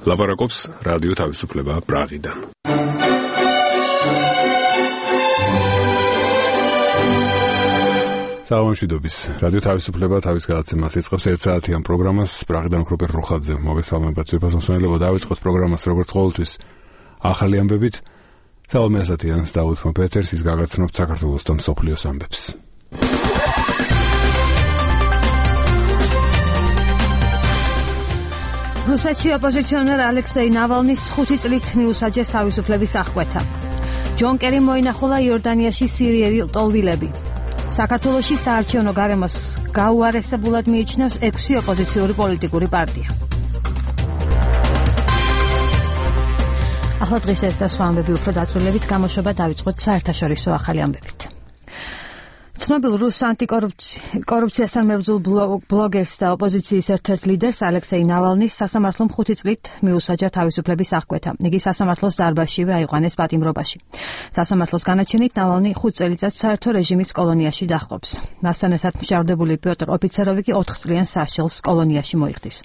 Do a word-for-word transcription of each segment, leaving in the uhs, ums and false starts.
ლაპარაკობს რადიო თავისუფლება პრაღიდან. სალამშვიდობის. რადიო თავისუფლება თავის გადაცემას იწყებს ერთ საათიან პროგრამას პრაღიდან რუპერ რუხაძე. მოგესალმებათ ძვირფასმოსმენელებო, დავიწყოთ პროგრამას როგორც ყოველთვის ახალი ამბებით. სალამი ასათიანს დავით ფონპეტერს ის გაგაცნობთ საქართველოს და მსოფლიოს ამბებს. რუსეთში ოპოზიციონერ ალექსეი ნავალნის ხუთი წლით მიუსაჯეს თავისუფლების აღკვეთა. ჯონ კერიმ მოინახულა იორდანიაში სირიელი ლტოლვილები. საქართველოში საარჩევნო გარემოს გაუარესებულად მიიჩნევს ექვსი ოპოზიციური პოლიტიკური პარტია. ახლა დღეს ეს და სხვა ამბები უფრო დაწვრილებით გამოშვება დავიწყოთ საერთაშორისო ახალი ამბებით. ცნობილ რუს ანტიკორუფციასთან მებრძოლ ბლოგერს და ოპოზიციის ერთ-ერთ ლიდერს ალექსეი ნავალნის სასამართლომ ხუთი წლით მიუსაჯა თავისუფლების აღკვეთა. იგი სასამართლოს დარბაზშივე აიყვანეს პატიმრობაში. სასამართლოს განაჩენით ნავალნი ხუთ წელიწადს საერთო რეჟიმის კოლონიაში დაჰყოფს. მასთან ერთად მშავდებული პიოტრ ოფიცეროვი კი ოთხ წლიან სასჯელს კოლონიაში მოიხდის.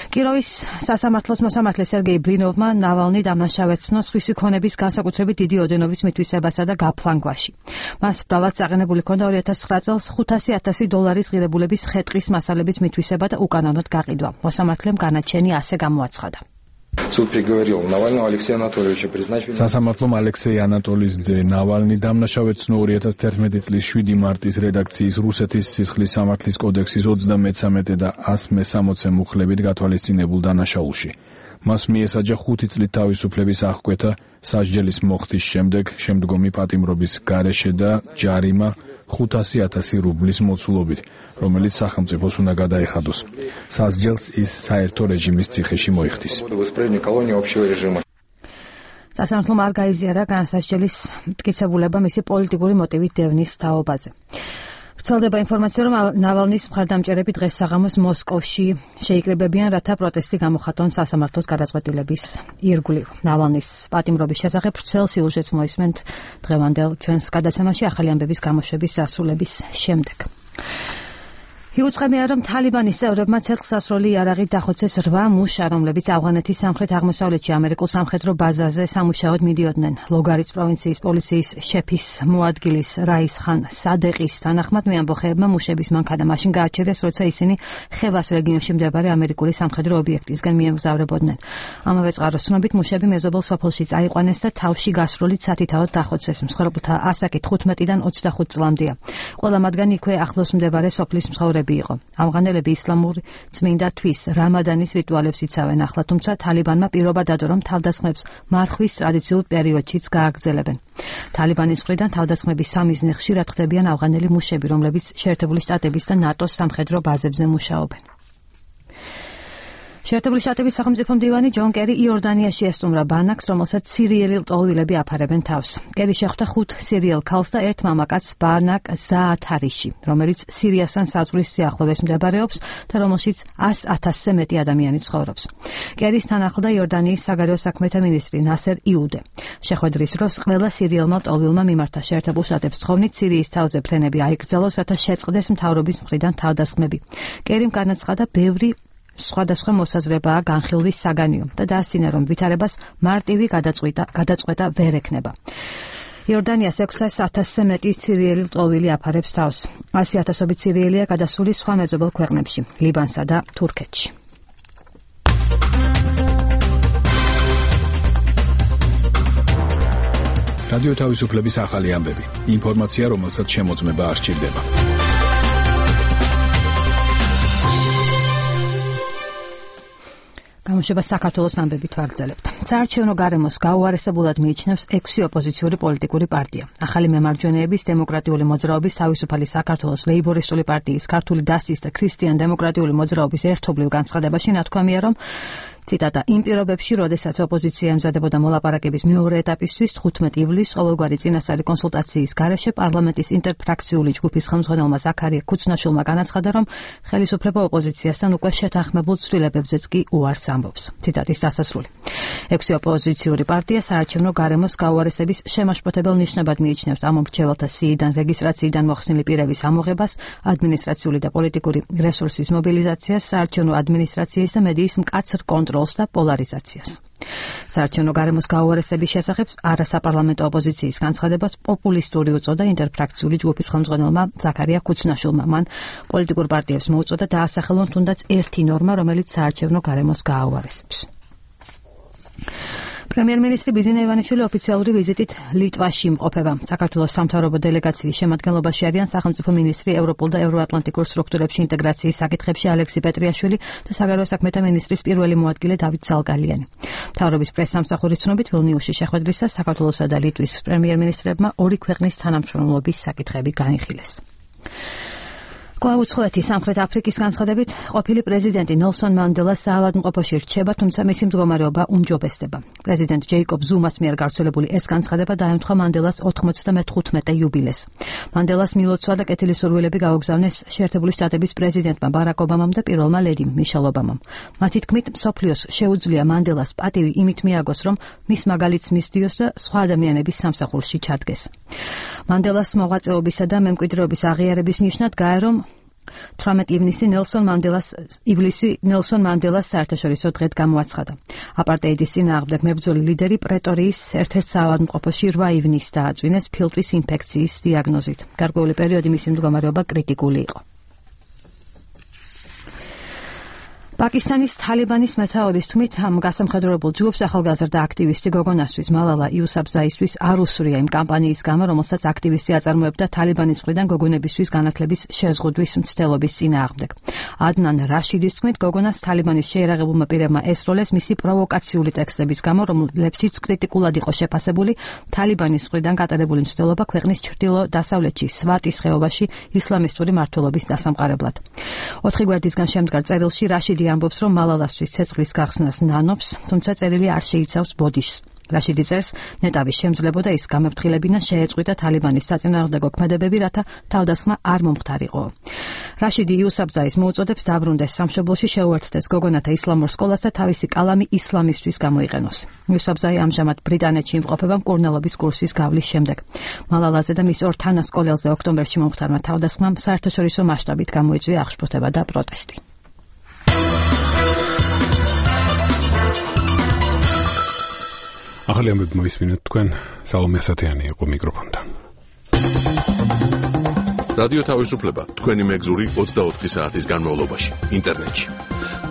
კიროვის სასამართლოს მოსამართლე სერგეი ბრინოვმა ნავალნი დამნაშავეცნო სხვისი ქონების განსაკუთრებით დიდი ოდენობის მითვისებასა და გაფლანგვაში. მას ბრალად წაყენებული ჰქონდა ორი ათას ცხრა წელს ხუთასი ათასი დოლარის ღირებულების ხეტყის მასალების მითვისება და უკანონოდ გაყიდვა. მოსამართლემ განაჩენი ასე გამოაცხადა. სასამართლომ ალექსეი ანატოლის ძე ნავალნი დამნაშავეცნო ორი ათას თერთმეტი წლის შვიდი მარტის რედაქციის რუსეთის სისხლის სამართლის კოდექსის ოცდამეცამეტე და ას მესამოცე მუხლებით გათვალისწინებულ დანაშაულში. მას მიესაჯა ხუთი წლით თავისუფლების აღკვეთა სასჯელის მოხდის შემდეგ შემდგომი პატიმრობის გარეშე და ჯარიმა ხუთასი ათასი რუბლის მოცულობით, რომელიც სახელმწიფოს უნდა გადაეხადოს. სასჯელს ის საერთო რეჟიმის ციხეში მოიხდის. სასამართლომ არ გაიზიარა განსასჯელის მტკიცებულება მისი პოლიტიკური მოტივით დევნის თაობაზე. ვრცელდება ინფორმაცია, რომ ნავალნის მხარდამჭერები დღეს საღამოს მოსკოვში შეიკრიბებიან, რათა პროტესტი გამოხატონ სასამართლოს გადაწყვეტილების ირგვლივ. ნავალნის პატიმრობის შესახებ ვრცელ სიუჟეტს მოისმენთ დღევანდელ ჩვენს გადაცემაში ახალი ამბების გამოშვების დასრულების შემდეგ. იუწყებია, რომ თალიბანის წევრებმა ცეცხლსასროლი იარაღით დახოცეს რვა მუშა, რომლებიც ავღანეთის სამხრეთ-აღმოსავლეთში ამერიკულ სამხედრო ბაზაზე სამუშაოდ მიდიოდნენ. ლოგარის პროვინციის პოლიციის შეფის მოადგილის რაის ხან სადეყის თანახმად მეამბოხეებმა მუშების მანქანა მაშინ გააჩერეს, როცა ისინი ხევას რეგიონში მდებარე ამერიკული სამხედრო ობიექტისგან მიემგზავრებოდნენ. ამავე წყაროს ცნობით მუშები მეზობელ სოფელში წაიყვანეს და თავში გასროლით სათითაოდ დახოცეს. მსხვერპლთა ასაკი თხუთმეტიდან ოცდახუთ წლამდეა. ყველა მათგანი იქვე ახლოს მდებარე სოფლის მცხოვრები იყო. ავღანელები ისლამური წმინდა თვის რამადანის რიტუალებს იცავენ ახლა, თუმცა თალიბანმა პირობა დადო, რომ თავდასხმებს მარხვის ტრადიციულ პერიოდშიც გააგრძელებენ. თალიბანის მხრიდან თავდასხმების სამიზნე ხშირად ხდებიან ავღანელი მუშები, რომლებიც შეერთებული შტატების და ნატოს სამხედრო ბაზებზე მუშაობენ. შეერთებული შტატების სახელმწიფო მდივანი ჯონ კერი იორდანიაში ესტუმრა ბანაკს, რომელსაც სირიელი ლტოლვილები აფარებენ თავს. კერი შეხვდა ხუთ სირიელ ქალს და ერთ მამაკაცს ბანაკ ზაათარიში, რომელიც სირიასთან საზღვრის სიახლოვეს მდებარეობს და რომელშიც ას ათასზე მეტი ადამიანი ცხოვრობს. კერის თან ახლდა იორდანიის საგარეო საქმეთა მინისტრი ნასერ იუდე. შეხვედრის დროს ყველა სირიელმა ლტოლვილმა მიმართა შეერთებულ შტატებს თხოვნით სირიის თავზე ფრენები აიგრძელოს, რათა შეწყდეს მთავრობის მხრიდან თავდასხმები. კერიმ განაცხადა, ბევრი სხვადასხვა მოსაზრებაა განხილვის საგანიო და დაასინა, რომ ვითარებას მარტივი გადაწყვეტა ვერ ექნება. იორდანიას ექვსას ათასზე მეტი სირიელი ლტოლვილი აფარებს თავს. ასი ათასობით სირიელია გადასული სხვა მეზობელ ქვეყნებში, ლიბანსა და თურქეთში. რადიო თავისუფლების ახალი ამბები. ინფორმაცია, რომელსაც შემოწმება არ სჭირდება. გამოშვება საქართველოს ამბებით ვაგრძელებთ. საარჩევნო გარემოს გაუარესებულად მიიჩნევს ექვსი ოპოზიციური პოლიტიკური პარტია. ახალი მემარჯვენეების, დემოკრატიული მოძრაობის, თავისუფალი საქართველოს, ლეიბორისტული პარტიის, ქართული დასის და ქრისტიან დემოკრატიული მოძრაობის ერთობლივ განცხადებაში ნათქვამია, რომ ციტატა, იმ პირობებში, როდესაც ოპოზიცია ემზადებოდა მოლაპარაკების მეორე ეტაპისთვის, თხუთმეტი ივლისს ყოველგვარი წინასწარი კონსულტაციის გარეშე პარლამენტის ინტერფრაქციული ჯგუფის ხელმძღვანელმა ზაქარია ქუცნაშვილმა განაცხადა, რომ ხელისუფლება ოპოზიციასთან უკვე შეთანხმებულ ცვლილებებზეც კი უარს ამბობს. ციტატის დასასრული. ექვსი ოპოზიციური პარტია საარჩევნო გარემოს გაუარესების შემაშფოთებელ ნიშნებად მიიჩნევს ამ მრჩეველთა სიიდან რეგისტრაციიდან მოხსნილი პირების ამოღებას, ადმინისტრაციული და პოლიტიკური რესურსის მობილიზაციას, საარჩევნო ადმინისტრაციის და მედიის მკაცრ კონტროლს და პოლარიზაციას. საარჩევნო გარემოს გაუარესების შესახებ არასაპარლამენტო ოპოზიციის განცხადებას პოპულისტური უწოდა ინტერფრაქციული ჯგუფის ხელმძღვანელმა ზაქარია ქუცნაშვილმა. მან პოლიტიკურ პარტიებს მოუწოდა დაასახელონ თუნდაც ერთი ნორმა, რომელიც საარჩევნო გარემოს გააუარესებს. პრემიერ-მინისტრი ბიზინა ივანიშვილი ოფიციალური ვიზიტით ლიტვაში იმყოფება. საქართველოს სამთავრობო დელეგაციის შემადგენლობაში არიან სახელმწიფო მინისტრი ევროპულ და ევროატლანტიკურ სტრუქტურებში ინტეგრაციის საკითხებში ალექსი პეტრიაშვილი და საგარეო საქმეთა მინისტრის პირველი მოადგილე დავით ზალგალიანი. მთავრობის პრესსამსახურის ცნობით ვილნიუსში შეხვედრისას საქართველოსა და ლიტვის პრემიერ-მინისტრებმა ორი ქვეყნის თანამშრომლობის საკითხები განიხილეს. კლაუცხოვეთი სამხრეთ აფრიკის განცხადებით ყოფილი პრეზიდენტი ნელსონ მანდელას საავადმყოფოში რჩება, თუმცა მისი მდგომარეობა უმჯობესდება. პრეზიდენტ ჯეიკობ ზუმას მიერ გავრცელებული ეს განცხადება დაემთხვა მანდელას ოთხმოცდამეხუთმეტე იუბილეს. მანდელას მილოცვა და კეთილისურვილები გაუგზავნეს შეერთებული შტატების პრეზიდენტმა ბარაკ ობამამ და პირველმა ლედიმ მიშელ ობამამ. მათი თქმით, მსოფლიოს შეუძლია მანდელას პატივი იმით მიაგოს, რომ მის მაგალითს მისდიოს და სხვა ადამიანების სამსახურში ჩადგეს. მანდელას მოღვაწეობისა და მემკვიდრეობის აღიარების ნიშნად გაერომ თვრამეტი ივნისი ნელსონ მანდელას ივლისი ნელსონ მანდელას საერთაშორისო დღედ გამოაცხადა. აპარტეიდის წინააღმდეგ მებრძოლი ლიდერი პრეტორიის ერთ-ერთ საავადმყოფოში რვა ივნისს დააწვინეს ფილტვის ინფექციის დიაგნოზით. გარკვეული პერიოდი მისი მდგომარეობა კრიტიკული იყო. პაკისტანის თალიბანის მეთაურის თქმით, ამ გასამხედროებულ ჯგუფს ახალგაზრდა აქტივისტი გოგონასთვის მალალა იუსაფზაისთვის არ უსურია იმ კამპანიის გამო, რომელსაც აქტივისტი აწარმოებდა თალიბანის მხრიდან გოგონებისთვის განათლების შეზღუდვის მცდელობის წინააღმდეგ. ადნან რაშიდის თქმით, გოგონას თალიბანის შეიარაღებულმა პირებმა ესროლეს მისი პროვოკაციული ტექსტების გამო, რომლებშიც კრიტიკულად იყო შეფასებული თალიბანის მხრიდან გატარებული მცდელობა ქვეყნის ჩრდილო-დასავლეთში სვატის ხეობაში ისლამისტური მმართველობის დასამყარებლად. ოთხი გვერდისგან შემდგარ წერილში რაშიდი ამბობს, რომ მალალასთვის ცეცხლის გახსნას ნანობს, თუმცა წერილი არ შეიცავს ბოდიშს. რაშიდი წერს, ნეტავის შემძლებოდა ის გამეფრთხილებინა შეეწყვიტა თალიბანის საწინააღმდეგო ქმედებები, რათა თავდასხმა არ მომხდარიყო. რაშიდი იუსაფზაის მოუწოდებს დაბრუნდეს სამშობლოში, შეუერთდეს გოგონათა ისლამურ სკოლას და თავისი კალამი ისლამისთვის გამოიყენოს. იუსაფზაი ამჟამად ბრიტანეთში იმყოფება მკურნალობის კურსის გავლის შემდეგ. მალალაზე და მის ორ თანასკოლელზე ოქტომბერში მომხდარმა თავდასხმამ საერთაშორისო მასშტაბით გამოიწვია აღშფოთება და პროტესტი. ახალი ამბები მოისმინეთ თქვენ, სალომე ასათიანი იყო მიკროფონთან. რადიო თავისუფლება თქვენი მეგზური ოცდაოთხი საათის განმავლობაში ინტერნეტში.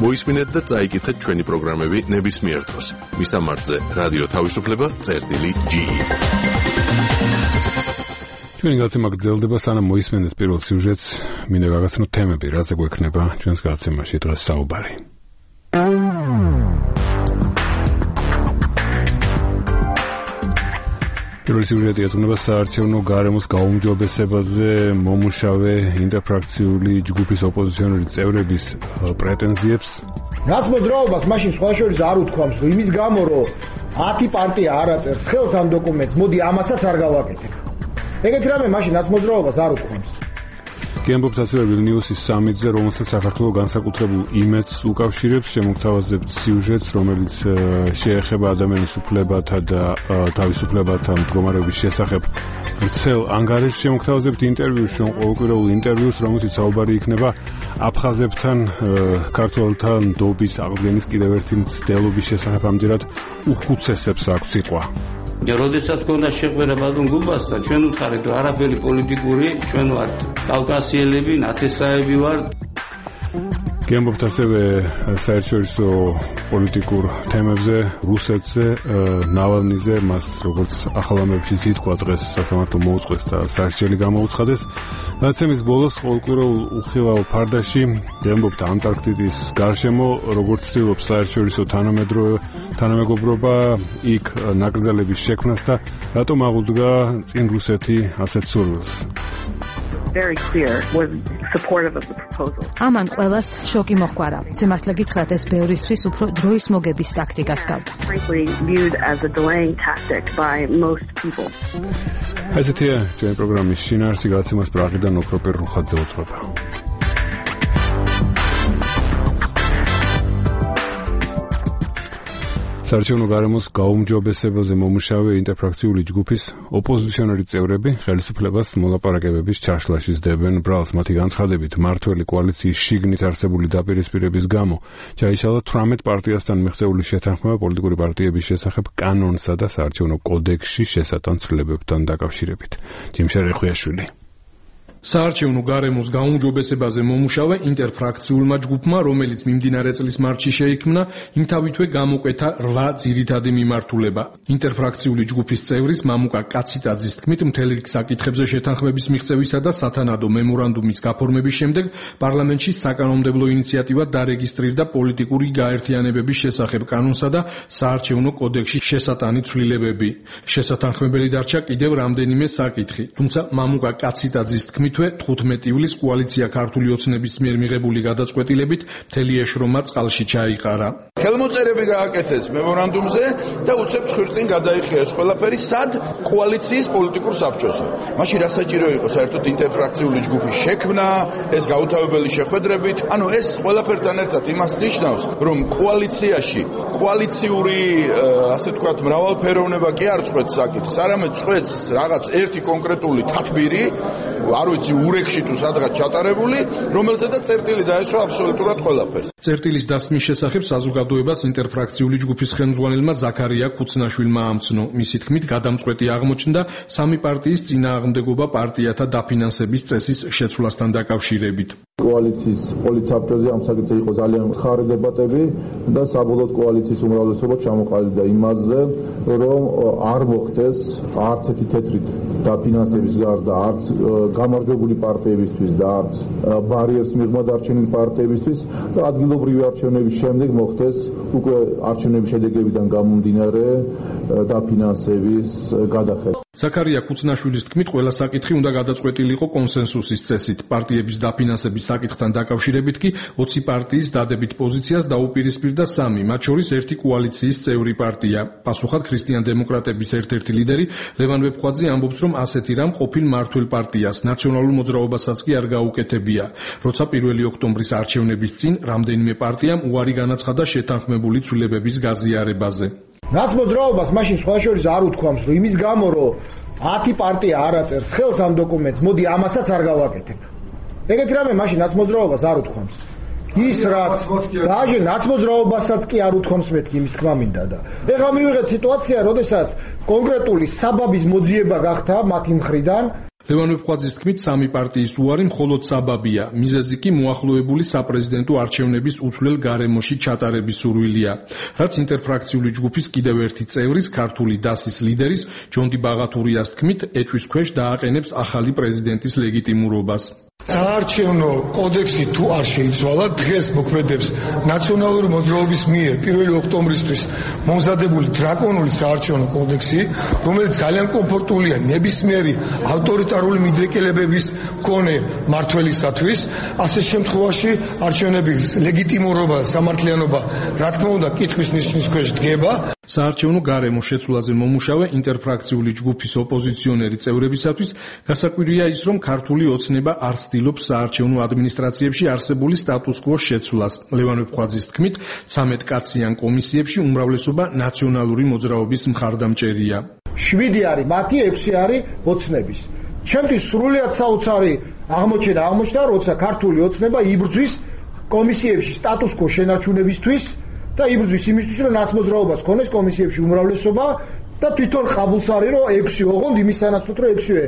მოისმინეთ და წაიკითხეთ ჩვენი პროგრამები ნებისმიერ დროს. მისამართზე რადიო თავისუფლება წერტილი ჯი. ჩვენი გაცემა გრძელდება, სანამ მოისმენთ პირველ სიუჟეტს, მინდა გაგაცნოთ თემები, რაზე გვექნება ჩვენს გაცემაში დღეს საუბარი. პირველი სიუჟეტი ეძღვნება საარჩევნო გარემოს გაუმჯობესებაზე მომუშავე ინტერფრაქციული ჯგუფის ოპოზიციონერი წევრების პრეტენზიებს. რაც მოძრაობას მაშინ სხვა შორის არ უთქვამს, რომ იმის გამო, რომ ათი პარტია არ აწერს ხელს ამ დოკუმენტს, მოდი ამასაც არ გავაკეთებ. ეგეთი რამე მაშინ რაც მოძრაობას არ უთქვამს. გემბობთ ასევე ვილნიუსის სამიტზე, რომელსაც საქართველოს განსაკუთრებულ იმედს უკავშირებს, შემოგთავაზებთ სიუჟეტს, რომელიც შეეხება ადამიანის უფლებათა და თავისუფლებათა მდგომარეობის შესახებ ვრცელ ანგარიშს. შემოგთავაზებთ ინტერვიუს, ყოველკვირეულ ინტერვიუს, რომელშიც საუბარი იქნება აფხაზებთან, ქართველთა ნდობის აღდგენის კიდევ ერთი მცდელობის შესახებ. ამჯერად უხუცესებს აქვს სიტყვა. როდესაც გქონდა შეყვერება დუნგუბასთან, ჩვენ უთხარით, რომ არაბელი პოლიტიკური, ჩვენ ვართ კავკასიელები, ნათესაები ვართ. გემბობთ ასევე საერთაშორისო პოლიტიკურ თემებზე, რუსეთზე, ნავალნიზე, მას როგორც ახალ ამბებშიც ითქვა დღეს სასამართლო მოუწყვეს და სასჯელი გამოუცხადეს. დაცემის ბოლოს ყოველკვირეულ უხილავ ფარდაში გემბობთ ანტარქტიდის გარშემო, როგორც ცდილობს საერთაშორისო თანამეგობრობა იქ ნაკრძალების შექმნას და რატომ აღუდგა წინ რუსეთი ასეთ სურვილს. very clear was supportive of the proposal. ამან ყველას შოკი მოჰყარა. სიმართლე გითხრათ, ეს ბევრისთვის უფრო დროის მოგების ტაქტიკას გავდა. Frankly viewed as a delaying tactic by most people. ესეთია ჩვენი პროგრამის შინაარსი, გაცემას პრაღიდან ოქროპერ რუხაძე უძღვება. საარჩევნო გარემოს გაუმჯობესებაზე მომუშავე ინტერფრაქციული ჯგუფის ოპოზიციონერი წევრები ხელისუფლებას მოლაპარაკებების ჩაშლაში სდებენ ბრალს. მათი განცხადებით, მმართველი კოალიციის შიგნით არსებული დაპირისპირების გამო ჩაიშალა თვრამეტ პარტიასთან მიღწეული შეთანხმება პოლიტიკური პარტიების შესახებ კანონსა და საარჩევნო კოდექსში შესატან ცვლილებებთან დაკავშირებით. ჯიმშარ ხვიაშვილი. საარჩევნო გარემოს გაუმჯობესებაზე მომუშავე ინტერფრაქციულმა ჯგუფმა, რომელიც მიმდინარე წლის მარტში შეიქმნა, იმთავითვე გამოკვეთა რვა ძირითადი მიმართულება. ინტერფრაქციული ჯგუფის წევრის მამუკა კაციტაძის თქმით, მთელი რიგ საკითხებზე შეთანხმების მიღწევისა და სათანადო მემორანდუმის გაფორმების შემდეგ პარლამენტში საკანონმდებლო ინიციატივა დარეგისტრირდა პოლიტიკური გაერთიანებების შესახებ კანონსა და საარჩევნო კოდექსში შესატანი ცვლილებები. შესათანხმებელი დარჩა კიდევ რამდენიმე საკითხი, თუმცა მამუკა კაციტაძის თქმით თხუთმეტი ივლისს კოალიცია ქართული ოცნების მიერ მიღებული გადაწყვეტილებით მთელი ეშრომა წყალში ჩაიყარა. ხელმოწერები გააკეთეს მემორანდუმზე და უცებ ხვირწინ გადაიხია ეს ყველაფერი სად კოალიციის პოლიტიკურ საბჭოზე. მაშინ რა საჭირო იყო საერთოდ ინტერფრაქციული ჯგუფის შექმნა, ეს გაუთავებელი შეხვედრებით, ანუ ეს ყველაფერთან ერთად იმას ნიშნავს, რომ კოალიციაში კოალიციური ასე ვთქვათ მრავალფეროვნება კი არ წყვეტს საკითხს, არამედ წყვეტს რაღაც ერთი კონკრეტული თათბირი, არ ვიცი ურეკში თუ სადღაც ჩატარებული, რომელზედაც წერტილი დაესვა აბსოლუტურად ყველაფერს. წერტილის დასმის შესახებ საზოგადოებას ინტერფრაქციული ჯგუფის ხელმძღვანელმა ზაქარია ქუცნაშვილმა ამცნო. მისი თქმით, გადამწყვეტი აღმოჩნდა სამი პარტიის წინააღმდეგობა პარტიათა დაფინანსების წესის შეცვლასთან დაკავშირებით. კოალიციის პოლიტსაბჭოზე ამ საკითხზე იყო ძალიან ხარი დებატები და საბოლოოდ კოალიციის უმრავლესობა ჩამოყალიბდა იმაზე, რომ არ მოხდეს არც ერთი თეთრით დაფინანსების გარდა, არც გამარჯვებული პარტიებისთვის და არც ბარიერს მიღმა დარჩენილი პარტიებისთვის და ადგილობრივი არჩევნების შემდეგ მოხდეს უკვე არჩევნების შედეგებიდან გამომდინარე დაფინანსების გადახედვა. ზაქარია ქუცნაშვილის თქმით, ყველა საკითხი უნდა გადაწყვეტილიყო კონსენსუსის წესით. პარტიების დაფინანსების საკითხთან დაკავშირებით კი ოცი პარტიის დადებით პოზიციას დაუპირისპირდა სამი, მათ შორის ერთი კოალიციის წევრი პარტია. პასუხად ქრისტიან-დემოკრატების ერთ-ერთი ლიდერი ლევან ვეფხვაძე ამბობს, რომ ასეთი რამ ყოფილ მმართველ პარტიას ნაციონალურ მოძრაობასაც კი არ გაუკეთებია. როცა პირველი ოქტომბრის არჩევნების წინ რამდენიმე პარტიამ უარი განაცხადა შეთანხმებული ცვლილებების გაზიარებაზე. ნაცმოძრაობას მაშინ სხვა შორის არ უთქვამს, რომ იმის გამო, რომ ათი პარტია არ აწერს ხელს ამ დოკუმენტს, მოდი ამასაც არ გავაკეთებ. ეგეთი რამე მაშინ ნაცმოძრაობას არ უთქვამს. ის რაც დაჟე ნაცმოძრაობასაც კი არ უთქვამს მეთქი იმის თქმა მინდა და ეხლა მივიღეთ სიტუაცია, როდესაც კონკრეტული საბაბის მოძიება გახდა მათი მხრიდან. ლევან ვეფხვაძის თქმით, სამი პარტიის უარი მხოლოდ საბაბია, მიზეზი კი მოახლოებული საპრეზიდენტო არჩევნების უცვლელ გარემოში ჩატარების სურვილია. რაც ინტერფრაქციული ჯგუფის კიდევ ერთი წევრის, ქართული დასის ლიდერის ჯონდი ბაღათურიას თქმით, ეჭვის ქვეშ დააყენებს ახალი პრეზიდენტის ლეგიტიმურობას. საარჩევნო კოდექსი თუ არ შეიცვალა, დღეს მოქმედებს ნაციონალური მოძრაობის მიერ პირველი ოქტომბრისთვის მომზადებული დრაკონული საარჩევნო კოდექსი, რომელიც ძალიან კომფორტულია ნებისმიერი ავტორიტარული მიდრეკელებების მქონე მმართველისათვის. ასე შემთხვევაში არჩევნების ლეგიტიმურობა და სამართლიანობა, რა თქმა უნდა, კითხვის ნიშნის ქვეშ დგება. საარჩევნო გარემოს შეცვლაზე მომუშავე ინტერფრაქციული ჯგუფის ოპოზიციონერი წევრებისათვის გასაკვირია ის, რომ ქართული ოცნება არ ცდილობს საარჩევნო ადმინისტრაციებში არსებული სტატუს-კვოს შეცვლას. ლევან ვეფხვაძის თქმით, ცამეტ კაციან კომისიებში უმრავლესობა ნაციონალური მოძრაობის მხარდამჭერია. შვიდი არის მათი, ექვსი არის ოცნების. ჩემთვის სრულიად საოცარი აღმოჩენა აღმოჩნდა, როცა ქართული ოცნება იბრძვის კომისიებში სტატუს-კვოს შენარჩუნებისთვის და იბრძვის იმისთვის, რომ ნაცმოძრაობას ქონდეს კომისიებში უმრავლესობა და თვითონ ყაბულს არის, რომ ექვსი ოღონდ იმის სანაცვლოდ, რომ ექვსივე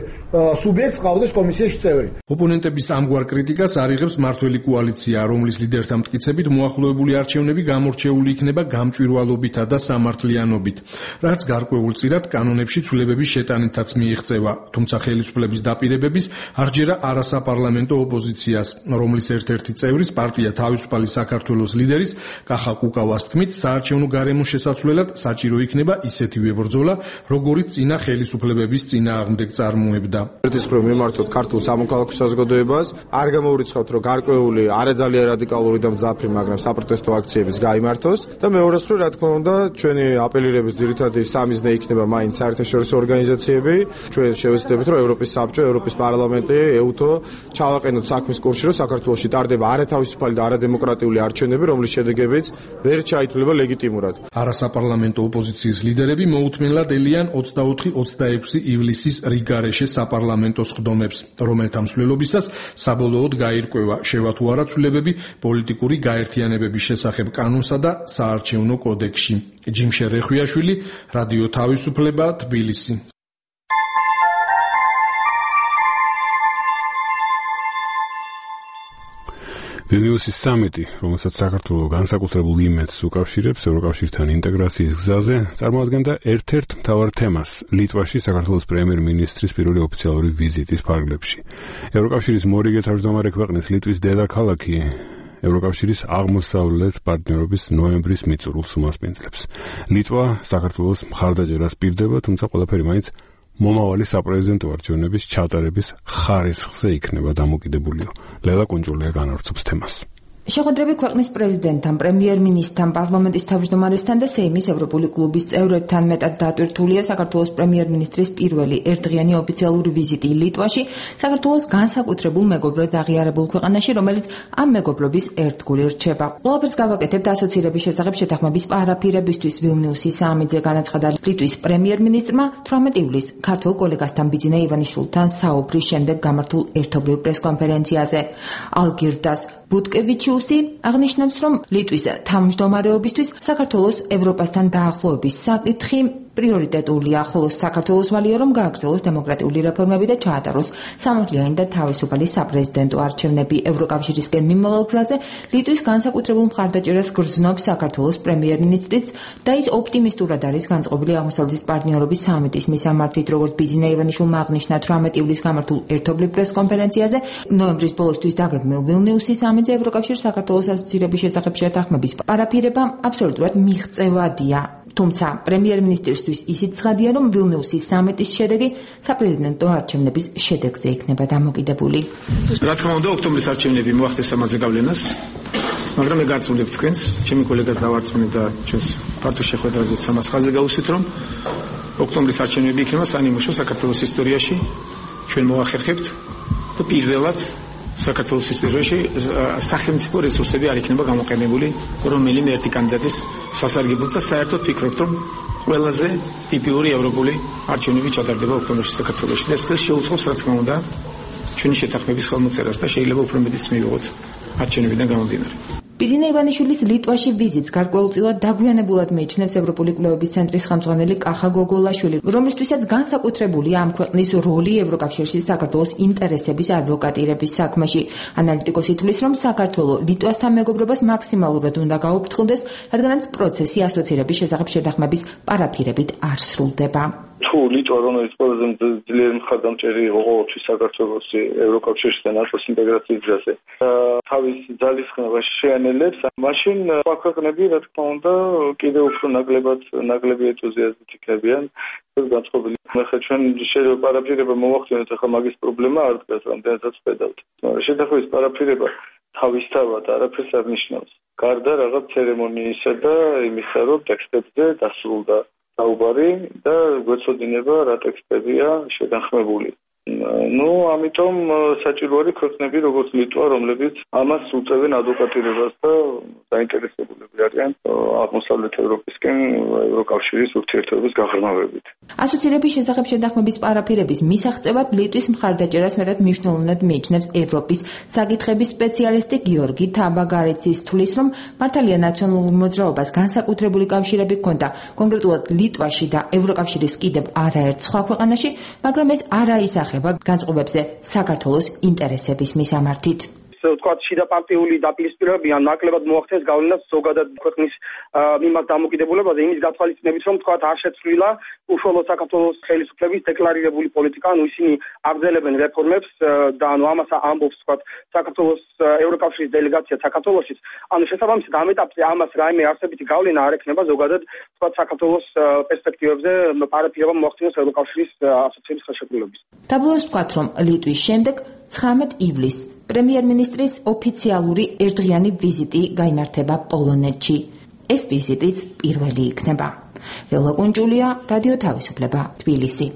სუბიექტს ყავდეს კომისიაში წევრი. ოპონენტების ამგვარ კრიტიკას არიღებს მმართველი კოალიცია, რომლის ლიდერთა მტკიცებით მოახლოებული არჩევნები გამორჩეული იქნება გამჭვირვალობითა და სამართლიანობით, რაც გარკვეულწილად კანონებში ცვლილებების შეტანითაც მიიღწევა, თუმცა ხელისუფლების დაპირებების არჯერა არასაპარლამენტო ოპოზიციას, რომლის ერთ-ერთი წევრის პარტია თავისუფალი საქართველოს ლიდერის კახა კუკავას თქმით, საარჩევნო გარემოს შესაცვლელად საჭირო იქნება ისეთივე ბრძოლა, ბრძოლა, როგორც წინა ხელისუფლებების წინააღმდეგ წარმოებდა. ერთის მხრივ მიმართოთ ქართულ სამოქალაქო საზოგადოებას, არ გამოვრიცხავთ, რომ გარკვეული არაძალიან რადიკალური და მძაფრი, მაგრამ საპროტესტო აქციებიც გაიმართოს და მეორეს მხრივ, რა თქმა უნდა, ჩვენი აპელირების ძირითადი სამიზნე იქნება მაინც საერთაშორისო ორგანიზაციები. ჩვენ შევეცდებით, რომ ევროპის საბჭო, ევროპის პარლამენტი, ეუთო ჩავაყენოთ საქმის კურსში, რომ საქართველოში ტარდება არათავისუფალი და არადემოკრატიული არჩევნები, რომლის შედეგებიც ვერ ჩაითვლება ლეგიტიმურად. არასაპარლამენტო ოპოზიციის ლიდერები მოუთმენლად ელიან ოცდაოთხი ოცდაექვსი ივლისის რიგარეშე საპარლამენტო სხდომებს, რომელთა მსვლელობისას საბოლოოდ გაირკვევა შევა თუ არა ცვლილებები პოლიტიკური გაერთიანებების შესახებ კანონსა და საარჩევნო კოდექსში. ჯიმშე რეხვიაშვილი, რადიო თავისუფლება, თბილისი. ვილნიუსის სამიტი, რომელსაც საქართველოს განსაკუთრებულ იმედს უკავშირებს ევროკავშირთან ინტეგრაციის გზაზე, წარმოადგენდა ერთ-ერთ მთავარ თემას ლიტვაში საქართველოს პრემიერ-მინისტრის პირველი ოფიციალური ვიზიტის ფარგლებში. ევროკავშირის მორიგე თავმჯდომარე ქვეყნის ლიტვის დედაქალაქი ევროკავშირის აღმოსავლეთ პარტნიორობის ნოემბრის მიწურულს უმასპინძლებს. ლიტვა საქართველოს მხარდაჭერას პირდება, თუმცა ყველაფერი მაინც მომავალი საპრეზიდენტო არჩევნების ჩატარების ხარისხზე იქნება დამოკიდებულიო. ლელა კუნჯულია განავრცობს თემას. შეხვედრები ქვეყნის პრეზიდენტთან, პრემიერ-მინისტრთან, პარლამენტის თავმჯდომარესთან და სეიმის ევროპული კლუბის წევრებთან მეტად დატვირთულია საქართველოს პრემიერ-მინისტრის პირველი ერთდღიანი ოფიციალური ვიზიტი ლიტვაში, საქართველოს განსაკუთრებულ მეგობრად აღიარებულ ქვეყანაში, რომელიც ამ მეგობრობის ერთგული რჩება. ყველაფერს გავაკეთებთ ასოცირების შესახებ შეთანხმების პარაფირებისთვის ვილნიუსის სამიტზე, განაცხადა ლიტვის პრემიერ-მინისტრმა თვრამეტი ივლისს ქართველ კოლეგასთან ბიძინა ივანიშვილთან საუბრის შემდეგ გამართულ ერთობლივ პრესკონფერენციაზე. ალგირდას ბუტკევიჩიუსი აღნიშნავს, რომ ლიტვის თავმჯდომარეობისთვის საქართველოს ევროპასთან დაახლოების საკითხი პრიორიტეტულია, ხოლო საქართველოს ვალია, რომ გააგრძელოს დემოკრატიული რეფორმები და ჩაატაროს სამართლიანი და თავისუფალი საპრეზიდენტო არჩევნები. ევროკავშირისკენ მიმავალ გზაზე ლიტვის განსაკუთრებულ მხარდაჭერას გრძნობს საქართველოს პრემიერ-მინისტრიც და ის ოპტიმისტურად არის განწყობილი აღმოსავლეთის პარტნიორობის სამიტის მისამართით, როგორც ბიძინა ივანიშვილმა აღნიშნა თვრამეტი ივლისს გამართულ ერთობლივ პრესკონფერენციაზე. ნოემბრის ბოლოსთვის დაგეგმილ ვილნიუსის სამიტზე ევროკავშირს საქართველოს ასოცირების შესახებ შეთანხმების პარაფირება აბსოლუტურად მიღწევადია. თუმცა პრემიერ-მინისტრისთვის ისიც ცხადია, რომ ვილნიუსის სამიტის შედეგი საპრეზიდენტო არჩევნების შედეგზე იქნება დამოკიდებული. რა თქმა უნდა, ოქტომბრის არჩევნები მოახდენს ამაზე გავლენას, მაგრამ მე გარწმუნებ თქვენს, ჩემი კოლეგას დავარწმუნებ და ჩვენს პარტიულ შეხვედრაზეც ამას ხაზზე გავუსვით, რომ ოქტომბრის არჩევნები იქნება სანიმუშო საქართველოს ისტორიაში, ჩვენ მოახერხებთ და პირველად საქართველოს ისტორიაში სახელმწიფო რესურსები არ იქნება გამოყენებული რომელიმე ერთი კანდიდატის სასარგებლოდ და საერთოდ ფიქრობთ, რომ ყველაზე ტიპიური ევროპული არჩევნები ჩატარდება ოქტომბერში საქართველოში და ეს შეუწყობს, რა თქმა უნდა, ჩვენი შეთანხმების ხელმოწერას და შეიძლება უფრო მეტიც მივიღოთ არჩევნებიდან გამომდინარე. ბიძინა ივანიშვილის ლიტვაში ვიზიტს გარკვეულწილად დაგვიანებულად მიიჩნევს ევროპული კვლევების ცენტრის ხელმძღვანელი კახა გოგოლაშვილი, რომლისთვისაც განსაკუთრებულია ამ ქვეყნის როლი ევროკავშირში საქართველოს ინტერესების ადვოკატირების საქმეში. ანალიტიკოსი თვლის, რომ საქართველო ლიტვასთან მეგობრობას მაქსიმალურად უნდა გაუფრთხილდეს, რადგანაც პროცესი ასოცირების შესახებ შეთანხმების პარაფირებით არ სრულდება. თუ ლიტვა, რომელიც ყველაზე ძლიერი მხარდამჭერი იყო ყოველთვის საქართველოს ევროკავშირში და ნატოს ინტეგრაციის გზაზე, თავის ძალისხმევას შეანელებს, მაშინ სხვა ქვეყნები, რა თქმა უნდა, კიდევ უფრო ნაკლებად ნაკლები ენთუზიაზმით იქნებიან ეს განწყობილი. ახლა ჩვენ შეიძლება პარაფირება მოვახდინოთ, ახლა მაგის პრობლემა არ დგას, რამდენადაც ხედავთ. შეთანხმების პარაფირება თავისთავად არაფერს არ ნიშნავს. გარდა რაღაც ცერემონიისა და იმისა, რომ ტექსტებზე დასრულდა საუბარი და გვეცოდინება რა ტექსტებია შეთანხმებული. ну, ამიტომ საჭირო არის ქვეყნები, როგორც ლიტვა, რომლებიც ამას უწევენ ადვოკატირებას და დაინტერესებულები არიან აღმოსავლეთ ევროპისკენ ევროკავშირის ურთიერთობების გაღრმავებით. ასოცირების შესახებ შეთანხმების პარაფირების მისაღწევად ლიტვის მხარდაჭერას მეტად მნიშვნელოვნად მიიჩნევს ევროპის საკითხების სპეციალისტი გიორგი თაბაგარიცის თვლის, რომ მართალია ნაციონალურ მოძრაობას განსაკუთრებული კავშირები ჰქონდა კონკრეტულად ლიტვაში და ევროკავშირის კიდევ არაერთ სხვა ქვეყანაში, მაგრამ ეს არ აისახება განწყობებზე საქართველოს ინტერესების მისამართით. ვთქვათ, შიდაპარტიული დაპირისპირებები ან ნაკლებად მოახდენს გავლენას ზოგადად ქვეყნის მიმართ დამოკიდებულებაზე, იმის გათვალისწინებით, რომ ვთქვათ, არ შეცვლილა უშუალოდ საქართველოს ხელისუფლების დეკლარირებული პოლიტიკა, ანუ ისინი აგრძელებენ რეფორმებს და ანუ ამას ამბობს, ვთქვათ, საქართველოს ევროკავშირის დელეგაცია საქართველოსის, ანუ შესაბამისად ამ ეტაპზე ამას რაიმე არსებითი გავლენა არ ექნება ზოგადად, ვთქვათ, საქართველოს პერსპექტივებზე პარაფირება მოახდინოს ევროკავშირის ასოციაციის ხელშეკრულების. დაბოლოს ვთქვათ, რომ ლიტვის შემდეგ ცხრამეტ ივლისს პრემიერ-მინისტრის ოფიციალური ერთდღიანი ვიზიტი გაიმართება პოლონეთში. ეს ვიზიტიც პირველი იქნება. ველა კუნჯულია, რადიო თავისუფლება, თბილისი.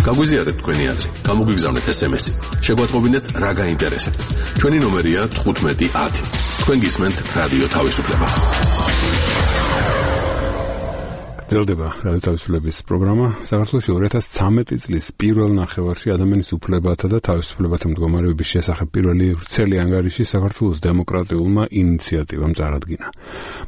გაგვიზიარეთ თქვენი აზრი, გამოგვიგზავნეთ ეს em es-ი. შეგვატყობინეთ რა გაინტერესებთ. ჩვენი ნომერია თხუთმეტი ათი. თქვენ გისმენთ რადიო თავისუფლება. გრძელდება რადიო თავისუფლების პროგრამა. საქართველოში ორი ათას ცხრამეტი წლის პირველ ნახევარში ადამიანის უფლებათა და თავისუფლებათა მდგომარეობის შესახებ პირველი ვრცელი ანგარიში საქართველოს დემოკრატიულმა ინიციატივამ წარადგინა.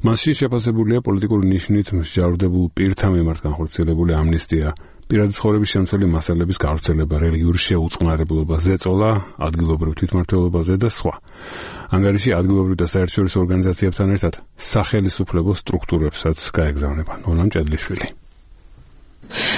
მასში შეფასებულია პოლიტიკური ნიშნით მსჯავრდებულ პირთა მიმართ განხორციელებული ამნისტია, პირადი ცხოვრების შემცველი მასალების გავრცელება, რელიგიური შეუწყნარებლობა, ზეწოლა, ადგილობრივ თვითმმართველობაზე და სხვა. ანგარიში ადგილობრივ და საერთაშორისო ორგანიზაციებთან ერთად სახელისუფლებო სტრუქტურებსაც გაეგზავნება. ნონა მჭედლიშვილი.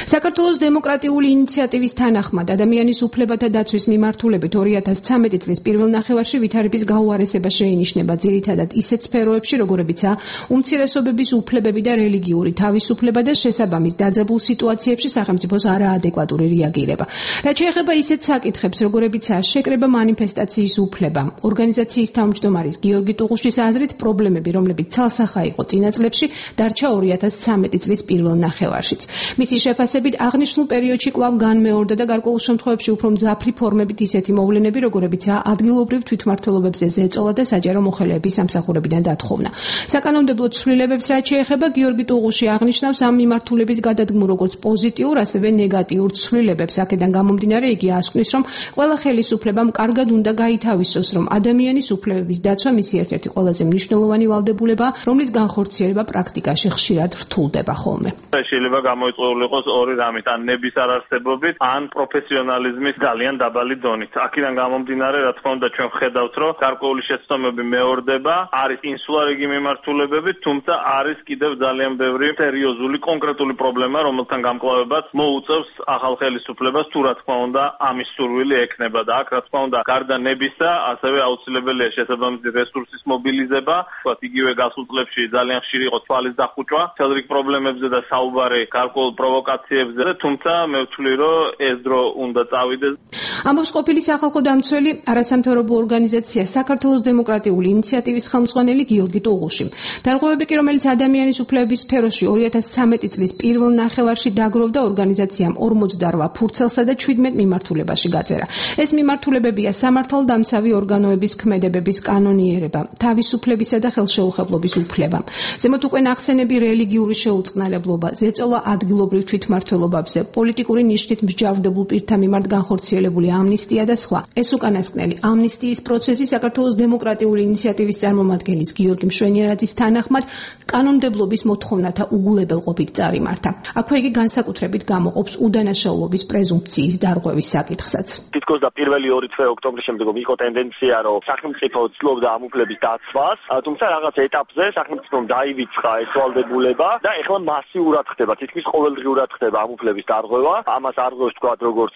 საქართველოს დემოკრატიული ინიციატივის თანახმად ადამიანის უფლებათა დაცვის მიმართულებით ორი ათას ცხრამეტი წლის პირველ ნახევარში ვითარების გაუარესება შეინიშნება ძირითადად ისეთ სფეროებში, როგორებიცაა უმცირესობების უფლებები და რელიგიური თავისუფლება და შესაბამის დაძაბულ სიტუაციებში სახელმწიფოს არაადეკვატური რეაგირება. რაც შეეხება ისეთ საკითხებს, როგორებიცაა შეკრება მანიფესტაციის უფლება, ორგანიზაციის თავმჯდომარის გიორგი ტუღუშის აზრით პრობლემები, რომლებიც ცალსახა იყო წინა წლებში, დარჩა ორი ათას ცხრამეტი წლის პირველ ნახევარშიც. მისი შეფასებით აღნიშნულ პერიოდში კვლავ განმეორდა და გარკვეულ შემთხვევებში უფრო მძაფრი ფორმებით ისეთი მოვლენები, როგორებიცაა ადგილობრივ თვითმმართველობებზე ზეწოლა და საჯარო მოხელეების სამსახურებიდან დათხოვნა. საკანონმდებლო ცვლილებებს რაც შეეხება, გიორგი ტუღუში აღნიშნავს ამ მიმართულებით გადადგმულ როგორც პოზიტიურ, ასევე ნეგატიურ ცვლილებებს. აქედან გამომდინარე, იგი ასკვნის, რომ ყველა ხელისუფლებამ კარგად უნდა გაითავისოს, რომ ადამიანის უფლებების დაცვა მისი ერთ-ერთი ყველაზე მნიშვნელოვანი ვალდებულებაა, რომლის განხორციელება პრაქტიკაში ხშირად რთულდება ხოლმე. შეიძლება გამოიწვეული იყოს ორი რამით, ან ნების არარსებობით, ან პროფესიონალიზმის ძალიან დაბალი დონით. აქედან გამომდინარე, რა თქმა უნდა, ჩვენ ვხედავთ, რომ გარკვეული შეცდომები მეორდება, არის ინსულარიგი მიმართულებები, თუმცა არის კიდევ ძალიან ბევრი სერიოზული კონკრეტული პრობლემა, რომელთან გამკლავებაც მოუწევს ახალ ხელისუფლებას, თუ რა თქმა უნდა, ამის სურვილი ექნება და აქ რა თქმა უნდა, გარდა ნებისა, ასევე აუცილებელია შესაბამისი რესურსის მობილიზება, თქვათ, იგივე გასულ წლებში ძალიან ხშირი იყო თვალის დახუჭვა, მთელ რიგ პრობლემებზე და საუბარი გარკვეულ პროვოკაციებზე, თუმცა მე ვთვლი, რომ ეს დრო უნდა წავიდეს. ამბობს ყოფილი სახალხო დამცველი არასამთავრობო ორგანიზაცია საქართველოს დემოკრატიული ინიციატივის ხელმძღვანელი გიორგი ტუღუში. დარღვევები კი, რომელიც ადამიანის უფლებების სფეროში ორი ათას ცხრამეტი წლის პირველ ნახევარში დაგროვდა, ორგანიზაციამ ორმოცდარვა ფურცელსა და ჩვიდმეტ მიმართულებაში გაწერა. ეს მიმართულებებია სამართალდამცავი ორგანოების ქმედებების კანონიერება, თავისუფლებისა და ხელშეუხებლობის უფლება. ზემოთ უკვე ნახსენები რელიგიური შეუწყნარებლობა, ზეწოლა ადგილობრივ თვითმმართველობებზე, პოლიტიკური ნიშნით მსჯავრდებულ პირთა მიმართ განხორციელებული ამნისტია და სხვა. ეს უკანასკნელი ამნისტიის პროცესი საქართველოს დემოკრატიული ინიციატივის წარმომადგენლის გიორგი მშვენიარაძის თანახმად კანონმდებლობის მოთხოვნათა უგულებელყოფით წარიმართა. აქვე იგი განსაკუთრებით გამოყოფს უდანაშაულობის პრეზუმპციის დარღვევის საკითხსაც. თითქოს და პირველი ორი თვე ოქტომბრის შემდეგ იყო ტენდენცია, რომ სახელმწიფო ცდილობდა ამ უფლების დაცვას, თუმცა რაღაც ეტაპზე სახელმწიფომ დაივიწყა ეს ვალდებულება და ეხლა მასიურად ხდება, თითქმის ყოველდღიურად ხდება ამ უფლების დარღვევა. ამას არღვევს თქვა როგორც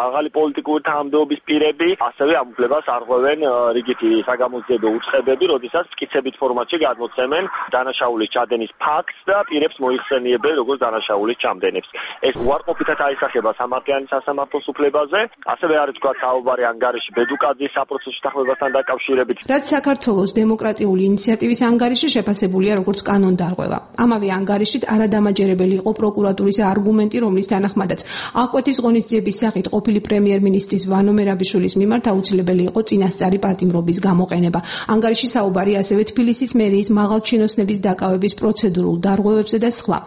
მაღალი პოლიტიკური თანამდებობის პირები, ასევე ამ უფლებას არღვევენ რიგითი საგამოძიებო უწყებები, როდესაც მტკიცებით ფორმატში გადმოცემენ დანაშაულის ჩადენის ფაქტს და პირებს მოიხსენიებენ როგორც დანაშაულის ჩამდენებს. ეს უარყოფითად აისახება სამართლიანი სასამართლოს უფლებაზე, ასევე არის თქვა საუბარი ანგარიში ბედუკაძის საპროცესო თანხმებასთან დაკავშირებით. რაც საქართველოს დემოკრატიული ინიციატივის ანგარიში შეფასებულია როგორც კანონდარღვევა. ამავე ანგარიშით არადამაჯერებელი იყო პროკურატურის არგუმენტი, რომლის თანახმადაც აღკვეთის ღონისძიების სახით ყოფილი პრემიერ პრემიერ-მინისტრის ვანო მერაბიშვილის მიმართ აუცილებელი იყო წინასწარი პატიმრობის გამოყენება. ანგარიში საუბარი ასევე თბილისის მერიის მაღალჩინოსნების დაკავების პროცედურულ დარღვევებზე და სხვა.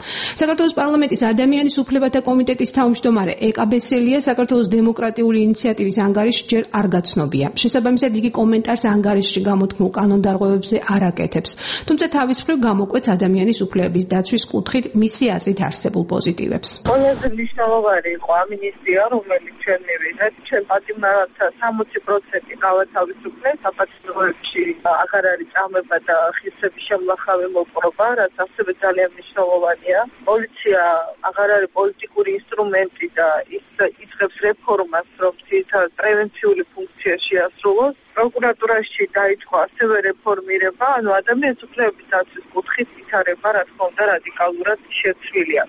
საქართველოს პარლამენტის ადამიანის უფლებათა კომიტეტის თავმჯდომარე ეკა ბესელია საქართველოს დემოკრატიული ინიციატივის ანგარიში ჯერ არ გაცნობია. შესაბამისად იგი კომენტარს ანგარიშში გამოთქმულ კანონდარღვევებზე არ აკეთებს. თუმცა თავის მხრივ გამოკვეთს ადამიანის უფლებების დაცვის კუთხით მისი აზრით არსებულ პოზიტივებს. ყველაზე მნიშვნელოვანი იყო ამინისტია, რომელიც ჩვენ მივიღეთ, ჩვენ პატიმრებთა სამოცი პროცენტი გავათავისუფლეთ, საპატიმროებში აღარ არის წამება და ხისების შემლახავი მოპყრობა, რაც ასევე ძალიან მნიშვნელოვანია. პოლიცია აღარ არის პოლიტიკური ინსტრუმენტი და ის იწყებს რეფორმას, რომ თითქოს პრევენციული ფუნქცია შეასრულოს. პროკურატურაში დაიწყო ასევე რეფორმირება, ანუ ადამიანის უფლებების დაცვის კუთხით ვითარება, რა თქმა უნდა, რადიკალურად შეცვლილია.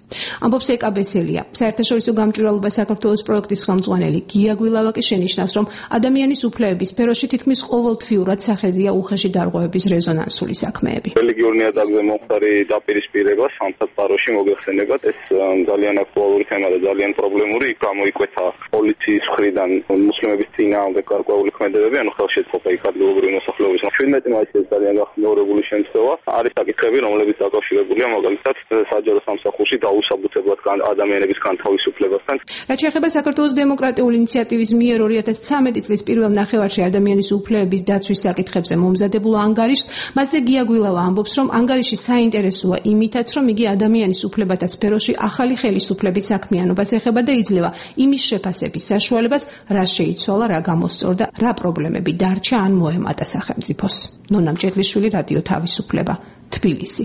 ამბობს ეკა ბესელია. საერთაშორისო გამჭვირვალობა საქართველოს პროექტის ხელმძღვანელი გია გვილავაკი შენიშნავს, რომ ადამიანის უფლებების სფეროში თითქმის ყოველთვიურად სახეზია უხეში დარღვევების რეზონანსული საქმეები. რელიგიურ ნიადაგზე მომხდარი დაპირისპირება სამსახურში მოგეხსენებათ, ეს ძალიან აქტუალური თემა და ძალიან პრობლემური. გამოიკვეთა პოლიციის მხრიდან მუსლიმების წინააღმდეგ გარკვეული ქმედებები, ანუ ხელშეწყობა იქ ადგილობრივი მოსახლეობის. ჩვენმეტი მაისის ძალიან გახმაურებული შემთხვევა არის საკითხები, რომლებიც დაკავშირებულია მაგალითად საჯარო სამსახურში დაუსაბუთებლად ადამიანების განთავისუფლებასთან. რაც შეეხება საქართველოს დემოკრატიული ინიციატივის მიერ ორი ათას ცხრამეტი წლის პირველ ნახევარში ადამიანის უფლებების დაცვის საკითხებზე მომზადებულ ანგარიშს, მასზე გია გვილავა ამბობს, რომ ანგარიში საინტერესოა იმითაც, რომ იგი ადამიანის უფლებათა სფეროში ახალი ხელისუფლების საქმიანობას ეხება და იძლევა იმის შეფასების საშუალებას, რა შეიცვალა, რა გამოსწორდა, რა პრობლემები დარჩა ან მოემატა სახელმწიფოს. ნონა მჭედლიშვილი, რადიო თავისუფლება, თბილისი.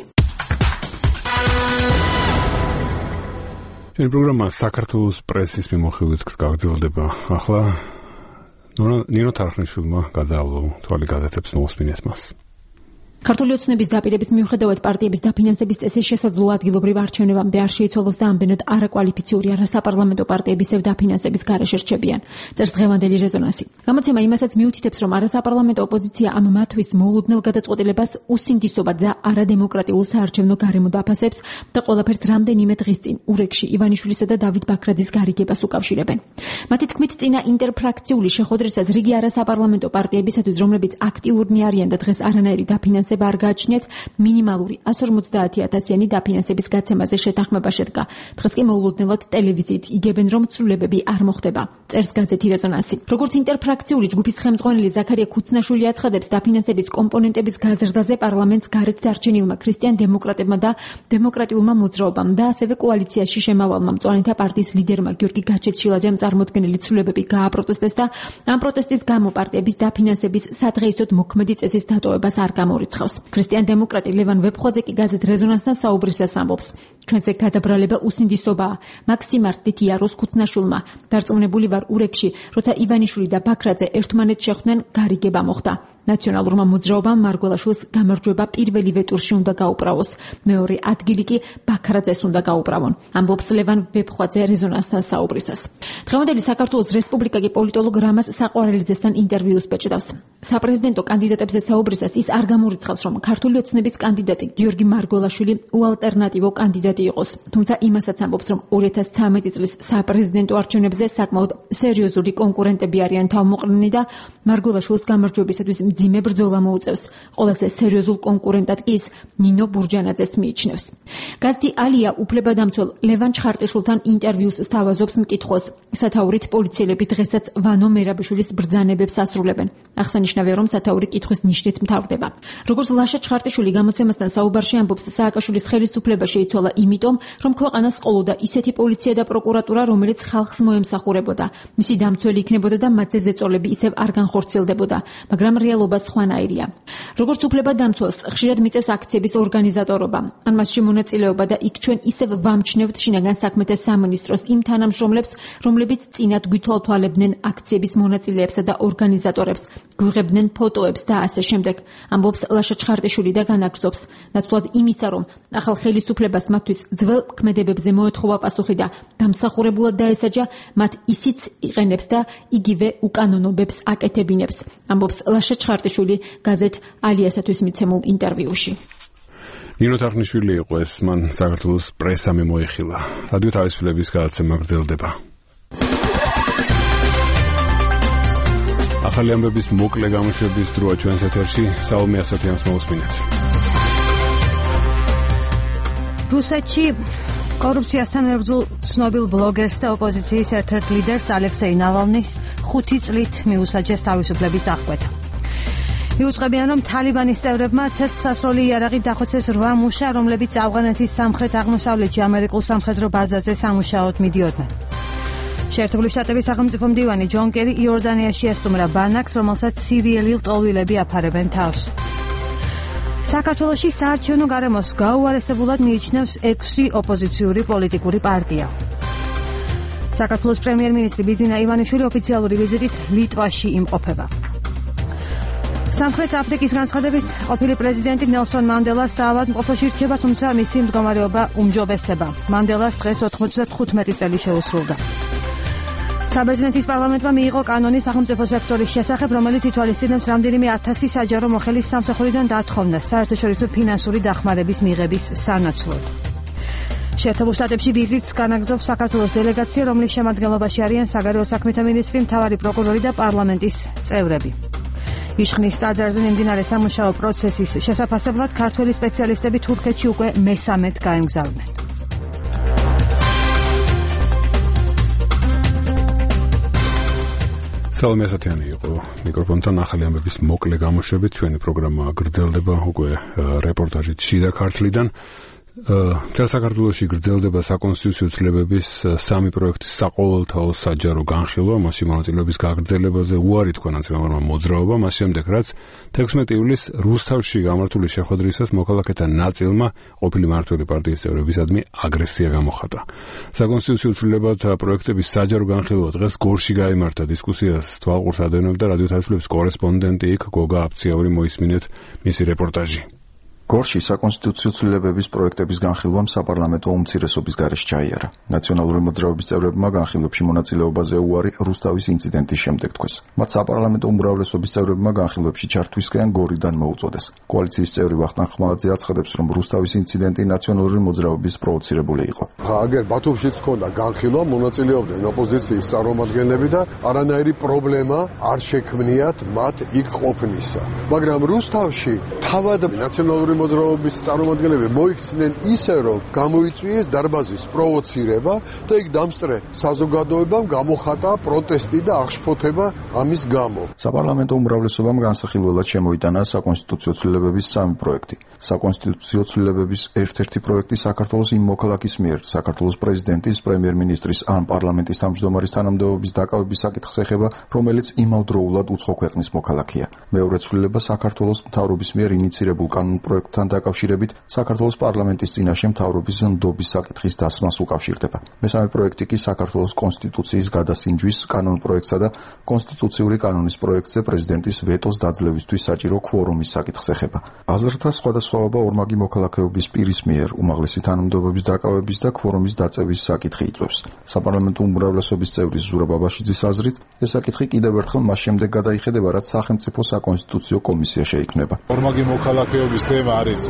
ჩვენი პროგრამა საქართველოს პრესის მიმოხილვით გაგრძელდება. ახლა ნინო თარხნიშვილმა გადაავლო თვალი გაზეთებს მოусმინეთ მას. ქართული ოცნების დაპირების მიუხედავად პარტიების დაფინანსების წესის შესაძლო ადგილობრივ არჩევნებამდე არ შეიცვალოს და ამდენად არაკვალიფიციური არასაპარლამენტო პარტიების დაფინანსების გარეშე რჩებიან. წერს დღევანდელი რეზონანსი. გამოცემა იმასაც მიუთითებს, რომ არასაპარლამენტო ოპოზიცია ამ მათთვის მოულოდნელ გადაწყვეტილებას უსინდისობად და არადემოკრატიულ საარჩევნო გარემოდ აფასებს და ყველაფერს რამდენიმე დღის წინ ურეკში ივანიშვილისა და დავით ბაქრაძის გარიგებას უკავშირებენ. მათი თქმით, წინა ინტერფრაქციული შეხვედრისას რიგი არასაპარლამენტო პარტიებისათვის, რომლებიც აქტიურნი არიან და დღეს არანაირი დაფინანსება არ გააჩნიათ, მინიმალური εκατს ორმოცდაათი ათასიანი დაფინანსების გაცემაზე შეთანხმება შედგა. დღეს კი მოულოდნელად ტელევიზიით იგებენ, რომ ცვლილებები არ მოხდება. წერს გაზეთი რეზონანსი. როგორც ინტერფრაქციული ჯგუფის ხელმძღვანელი ზაქარია ქუცნაშვილი აცხადებს, დაფინანსების კომპონენტების გაზრდაზე პარლამენტს გარეთ დარჩენილმა ქრისტიან დემოკრატებმა და დემოკრატიულმა მოძრაობამ და ასევე კოალიციაში შემავალმა მწვანეთა პარტიის ლიდერმა გიორგი გაჩეჩილაძემ წარმოქმნილი ცვლილებები გააპროტესტეს და ამ პროტესტის გამო პარტიების დაფინანსების სადღეისოდ მოქმედი წესის დატოვებას არ გამორიცხავს. ქრისტიან დემოკრატი ლევან ვეფხვაძე კი გაზეთ რეზონანსთან საუბრისას ამბობს, ჩვენზე გადაბრალება უსინდისობაა. მაქსიმ არტიტიაროს ქუცნაშვილმა დარწმუნებული ვარ ურეკში, როცა ივანიშვილი და ბაქრაძე ერთმანეთს შეხვდნენ, გარიგება მოხდა. ნაციონალურმა მოძრაობამ მარგველაშვილს გამარჯვება პირველივე ტურში უნდა გაუправოს. მეორე ადგილი კი ბაქრაძეს უნდა გაუправონ. ამბობს ლევან ვეფხვაძე რეზონანსთან საუბრისას. დღევანდელი საქართველოს რესპუბლიკა კი პოლიტოლოგ რამაზ საყვარელიძესთან ინტერვიუს ბეჭდავს. საპრეზიდენტო კანდიდატებზე საუბრისას ის არ გამორიცხავს, რომ ქართული ოცნების კანდიდატი გიორგი მარგველაშვილი უალტერნატივო კანდიდატი იყოს. თუმცა იმასაც ამბობს, რომ ორი ათას ცხრამეტი წლის საპრეზიდენტო არჩევნებზე საკმაოდ სერიოზული კონკურენტები არიან თავმოყრილნი და მარგველაშვილის გამარჯვებისათვის მძიმე ბრძოლა მოუწევს. ყველაზე სერიოზულ კონკურენტად კი ის ნინო ბურჯანაძეს მიიჩნევს. გაზეთი ალია უფლებადამცველ ლევან ჩხარტიშვილთან ინტერვიუს სთავაზობს მკითხველს. სათაურით პოლიციელები დღესაც ვანო მერაბიშვილის ბრძანებებს ასრულებენ. აღსანიშნავია, რომ სათაური კითხვის ნიშნით მთავრდება. როგორც ლაშა ჩხარტიშვილი გამოცემასთან საუბარში ამბობს, სააკაშვილის ხელისუფლება შეიცვალა იმიტომ, რომ ქვეყანას ყოლოდა ისეთი პოლიცია და პროკურატურა, რომელიც ხალხს მოემსახურებოდა. მისი დამცველი იქნებოდა და მათზე ზეწოლები ისევ არ განხორციელდებოდა, მაგრამ რეალობა სხვანაირია. როგორც უფლებადამცველს ხშირად მიწევს აქციების ორგანიზატორობა, ან მასში მონაწილეობა და იქ ჩვენ ისევ ვამჩნევთ შინაგან საქმეთა სამინისტროს იმ თანამშრომლებს, რომლებიც წინათ გვითვალთვალებდნენ აქციების მონაწილეებსა და ორგანიზატორებს, გვიღებდნენ ფოტოებს და ასე შემდეგ. ამბობს ლაშა ჩხარტიშვილი და განაგრძობს, ნაცვლად იმისა, რომ ახალ ხელისუფლებას მათთვის ძველ ქმედებებზე მოეთხოვა პასუხი და დამსახურებულად დაესაჯა, მათ ისიც იყენებს და იგივე უკანონობებს აკეთებინებს. ამბობს ლაშა ჩხარტიშვილი გაზეთ ალიასათვის მიცემულ ინტერვიუში. ნინო თარხნიშვილი იყო ეს, მან საქართველოს პრესა მიმოიხილა. რადიო თავისუფლების გადაცემა გრძელდება. ახალი ამბების მოკლე გამოშვების დროა ჩვენს ეთერში. საომე ასათიანს მოусმინეთ. რუსეთში კორუფციასთან მებრძოლ ცნობილ ბლოგერს და ოპოზიციის ერთ-ერთ ლიდერს ალექსეი ნავალნის ხუთი წლით მიუსაჯეს თავისუფლების აღკვეთა. მიუძღებიან, რომ თალიბანის წევრებმა ცეცხლსასროლი იარაღით დახოცეს რვა მუშა, რომლებიც ავღანეთის სამხრეთ-აღმოსავლეთში ამერიკულ სამხედრო ბაზაზე სამუშაოდ მიდიოდნენ. შეერთებული შტატების სახელმწიფო მდივანი ჯონ კერი იორდანიაში ესტუმრა ბანაკს, რომელსაც სირიელი ლტოლვილები აფარებენ თავს. საქართველოში საარჩევნო გარემოს გაუარესებულად მიიჩნევს ექვსი ოპოზიციური პოლიტიკური პარტია. საქართველოს პრემიერ-მინისტრი ბიძინა ივანიშვილი ოფიციალური ვიზიტით ლიტვაში იმყოფება. სამხრეთ აფრიკის განცხადებით ყოფილი პრეზიდენტი ნელსონ მანდელას საავადმყოფოში რჩება, თუმცა მისი მდგომარეობა უმჯობესდება. მანდელას დღეს ოთხმოცდახუთი წელი შეუსრულდა. საბერძნეთის პარლამენტმა მიიღო კანონი სახელმწიფო სექტორის შესახებ, რომელიც ითვალისწინებს რამდენიმე ათასი საჯარო მოხელის სამსახურიდან დათხოვნას საერთაშორისო ფინანსური დახმარების მიღების სანაცვლოდ. შეერთებულ შტატებში ვიზიტს განაგრძობს საქართველოს დელეგაცია, რომლის შემადგენლობაში არიან საგარეო საქმეთა მინისტრი, მთავარი პროკურორი და პარლამენტის წევრები. იშხნის ტაძარზე მიმდინარე სამუშაო პროცესის შესაფასებლად ქართველი სპეციალისტები თურქეთში უკვე მესამედ გაემგზავრნენ. საომე ასათიანი იყო მიკროფონთან. ახალი ამბების მოკლე გამოშვებით ჩვენი პროგრამა გრძელდება უკვე რეპორტაჟით შიდა ქართლიდან. მთელ საქართველოში გრძელდება საკონსტიტუციო ცვლილებების სამი პროექტის საყოველთაო საჯარო განხილვა, მასში მონაწილეობის გაგრძელებაზე უარი თქვა ნაციონალურმა მოძრაობამ, მას შემდეგ რაც თექვსმეტი ივლისს რუსთავში გამართული შეხვედრისას მოქალაქეთა ნაწილმა ყოფილი მმართველი პარტიის წევრებისადმი აგრესია გამოხატა. საკონსტიტუციო ცვლილებათა პროექტების საჯარო განხილვა დღეს გორში გაიმართა. დისკუსიას თვალყურს ადევნებდა რადიო თავისუფლების კორესპონდენტი იქ გოგა აფციაური. მოისმინეთ მისი რეპორტაჟი. გორში საკონსტიტუციო ცვლილებების პროექტების განხილვამ საპარლამენტო უმცირესობის გარეშე ჩაიარა. ნაციონალური მოძრაობის წევრებმა განხილვებში მონაწილეობაზე უარი რუსთავის ინციდენტის შემდეგ თქვეს. მათ საპარლამენტო უმრავლესობის წევრებმა განხილვებში ჩართვისკენ გორიდან მოუწოდეს. კოალიციის წევრი ვახტანგ ხმალაძე აცხადებს, რომ რუსთავის ინციდენტი ნაციონალური მოძრაობის პროვოცირებული იყო. აგერ ბათუმშიც ჰქონდა განხილვა, მონაწილეობდნენ ოპოზიციის წარმომადგენლები და არანაირი პრობლემა არ შექმნიათ მათ იქ ყოფნისა. მაგრამ რუსთავში თავად ნაციონალური მოძრაობის წარმომადგენლები მოიქცნენ ისე, რომ გამოიწვიეს დარბაზის პროვოცირება და იქ დამსწრე საზოგადოებამ გამოხატა პროტესტი და აღშფოთება ამის გამო. საპარლამენტო უმრავლესობამ განსახილველად შემოიტანა საკონსტიტუციო ცვლილებების სამი პროექტი. საკონსტიტუციო ცვლილებების ერთ-ერთი პროექტი საქართველოს იმ მოქალაქის მიერ, საქართველოს პრეზიდენტის, პრემიერ-მინისტრის ან პარლამენტის თავმჯდომარის თანამდებობის დაკავების საკითხს ეხება, რომელიც იმავდროულად უცხო ქვეყნის მოქალაქეა. მეორე ცვლილება საქართველოს მთავრობის მიერ ინიცირებულ კანონ პროექტთან დაკავშირებით საქართველოს პარლამენტის წინაშე მთავრობის ნდობის საკითხის დასმას უკავშირდება. მესამე პროექტი კი საქართველოს კონსტიტუციის გადასინჯვის კანონ პროექტსა და კონსტიტუციური კანონის პროექტზე პრეზიდენტის ვეტოს დაძლევისთვის საჭირო ქვორუმის საკითხს ეხება. აზრთა სხვადასხვაობა ორმაგი მოქალაქეობის პირის მიერ უმაღლესი თანამდებობის დაკავების და ქვორუმის დაწევის საკითხი იწვევს. საპარლამენტო უმრავლესობის წევრის ზურაბ აბაშიძის აზრით, ეს საკითხი კიდევ ერთხელ მას შემდეგ გადაიხედება, რაც სახელმწიფო საკონსტიტუციო კომისია შეიქმნება. ორმაგი მოქალაქეობის თემა არის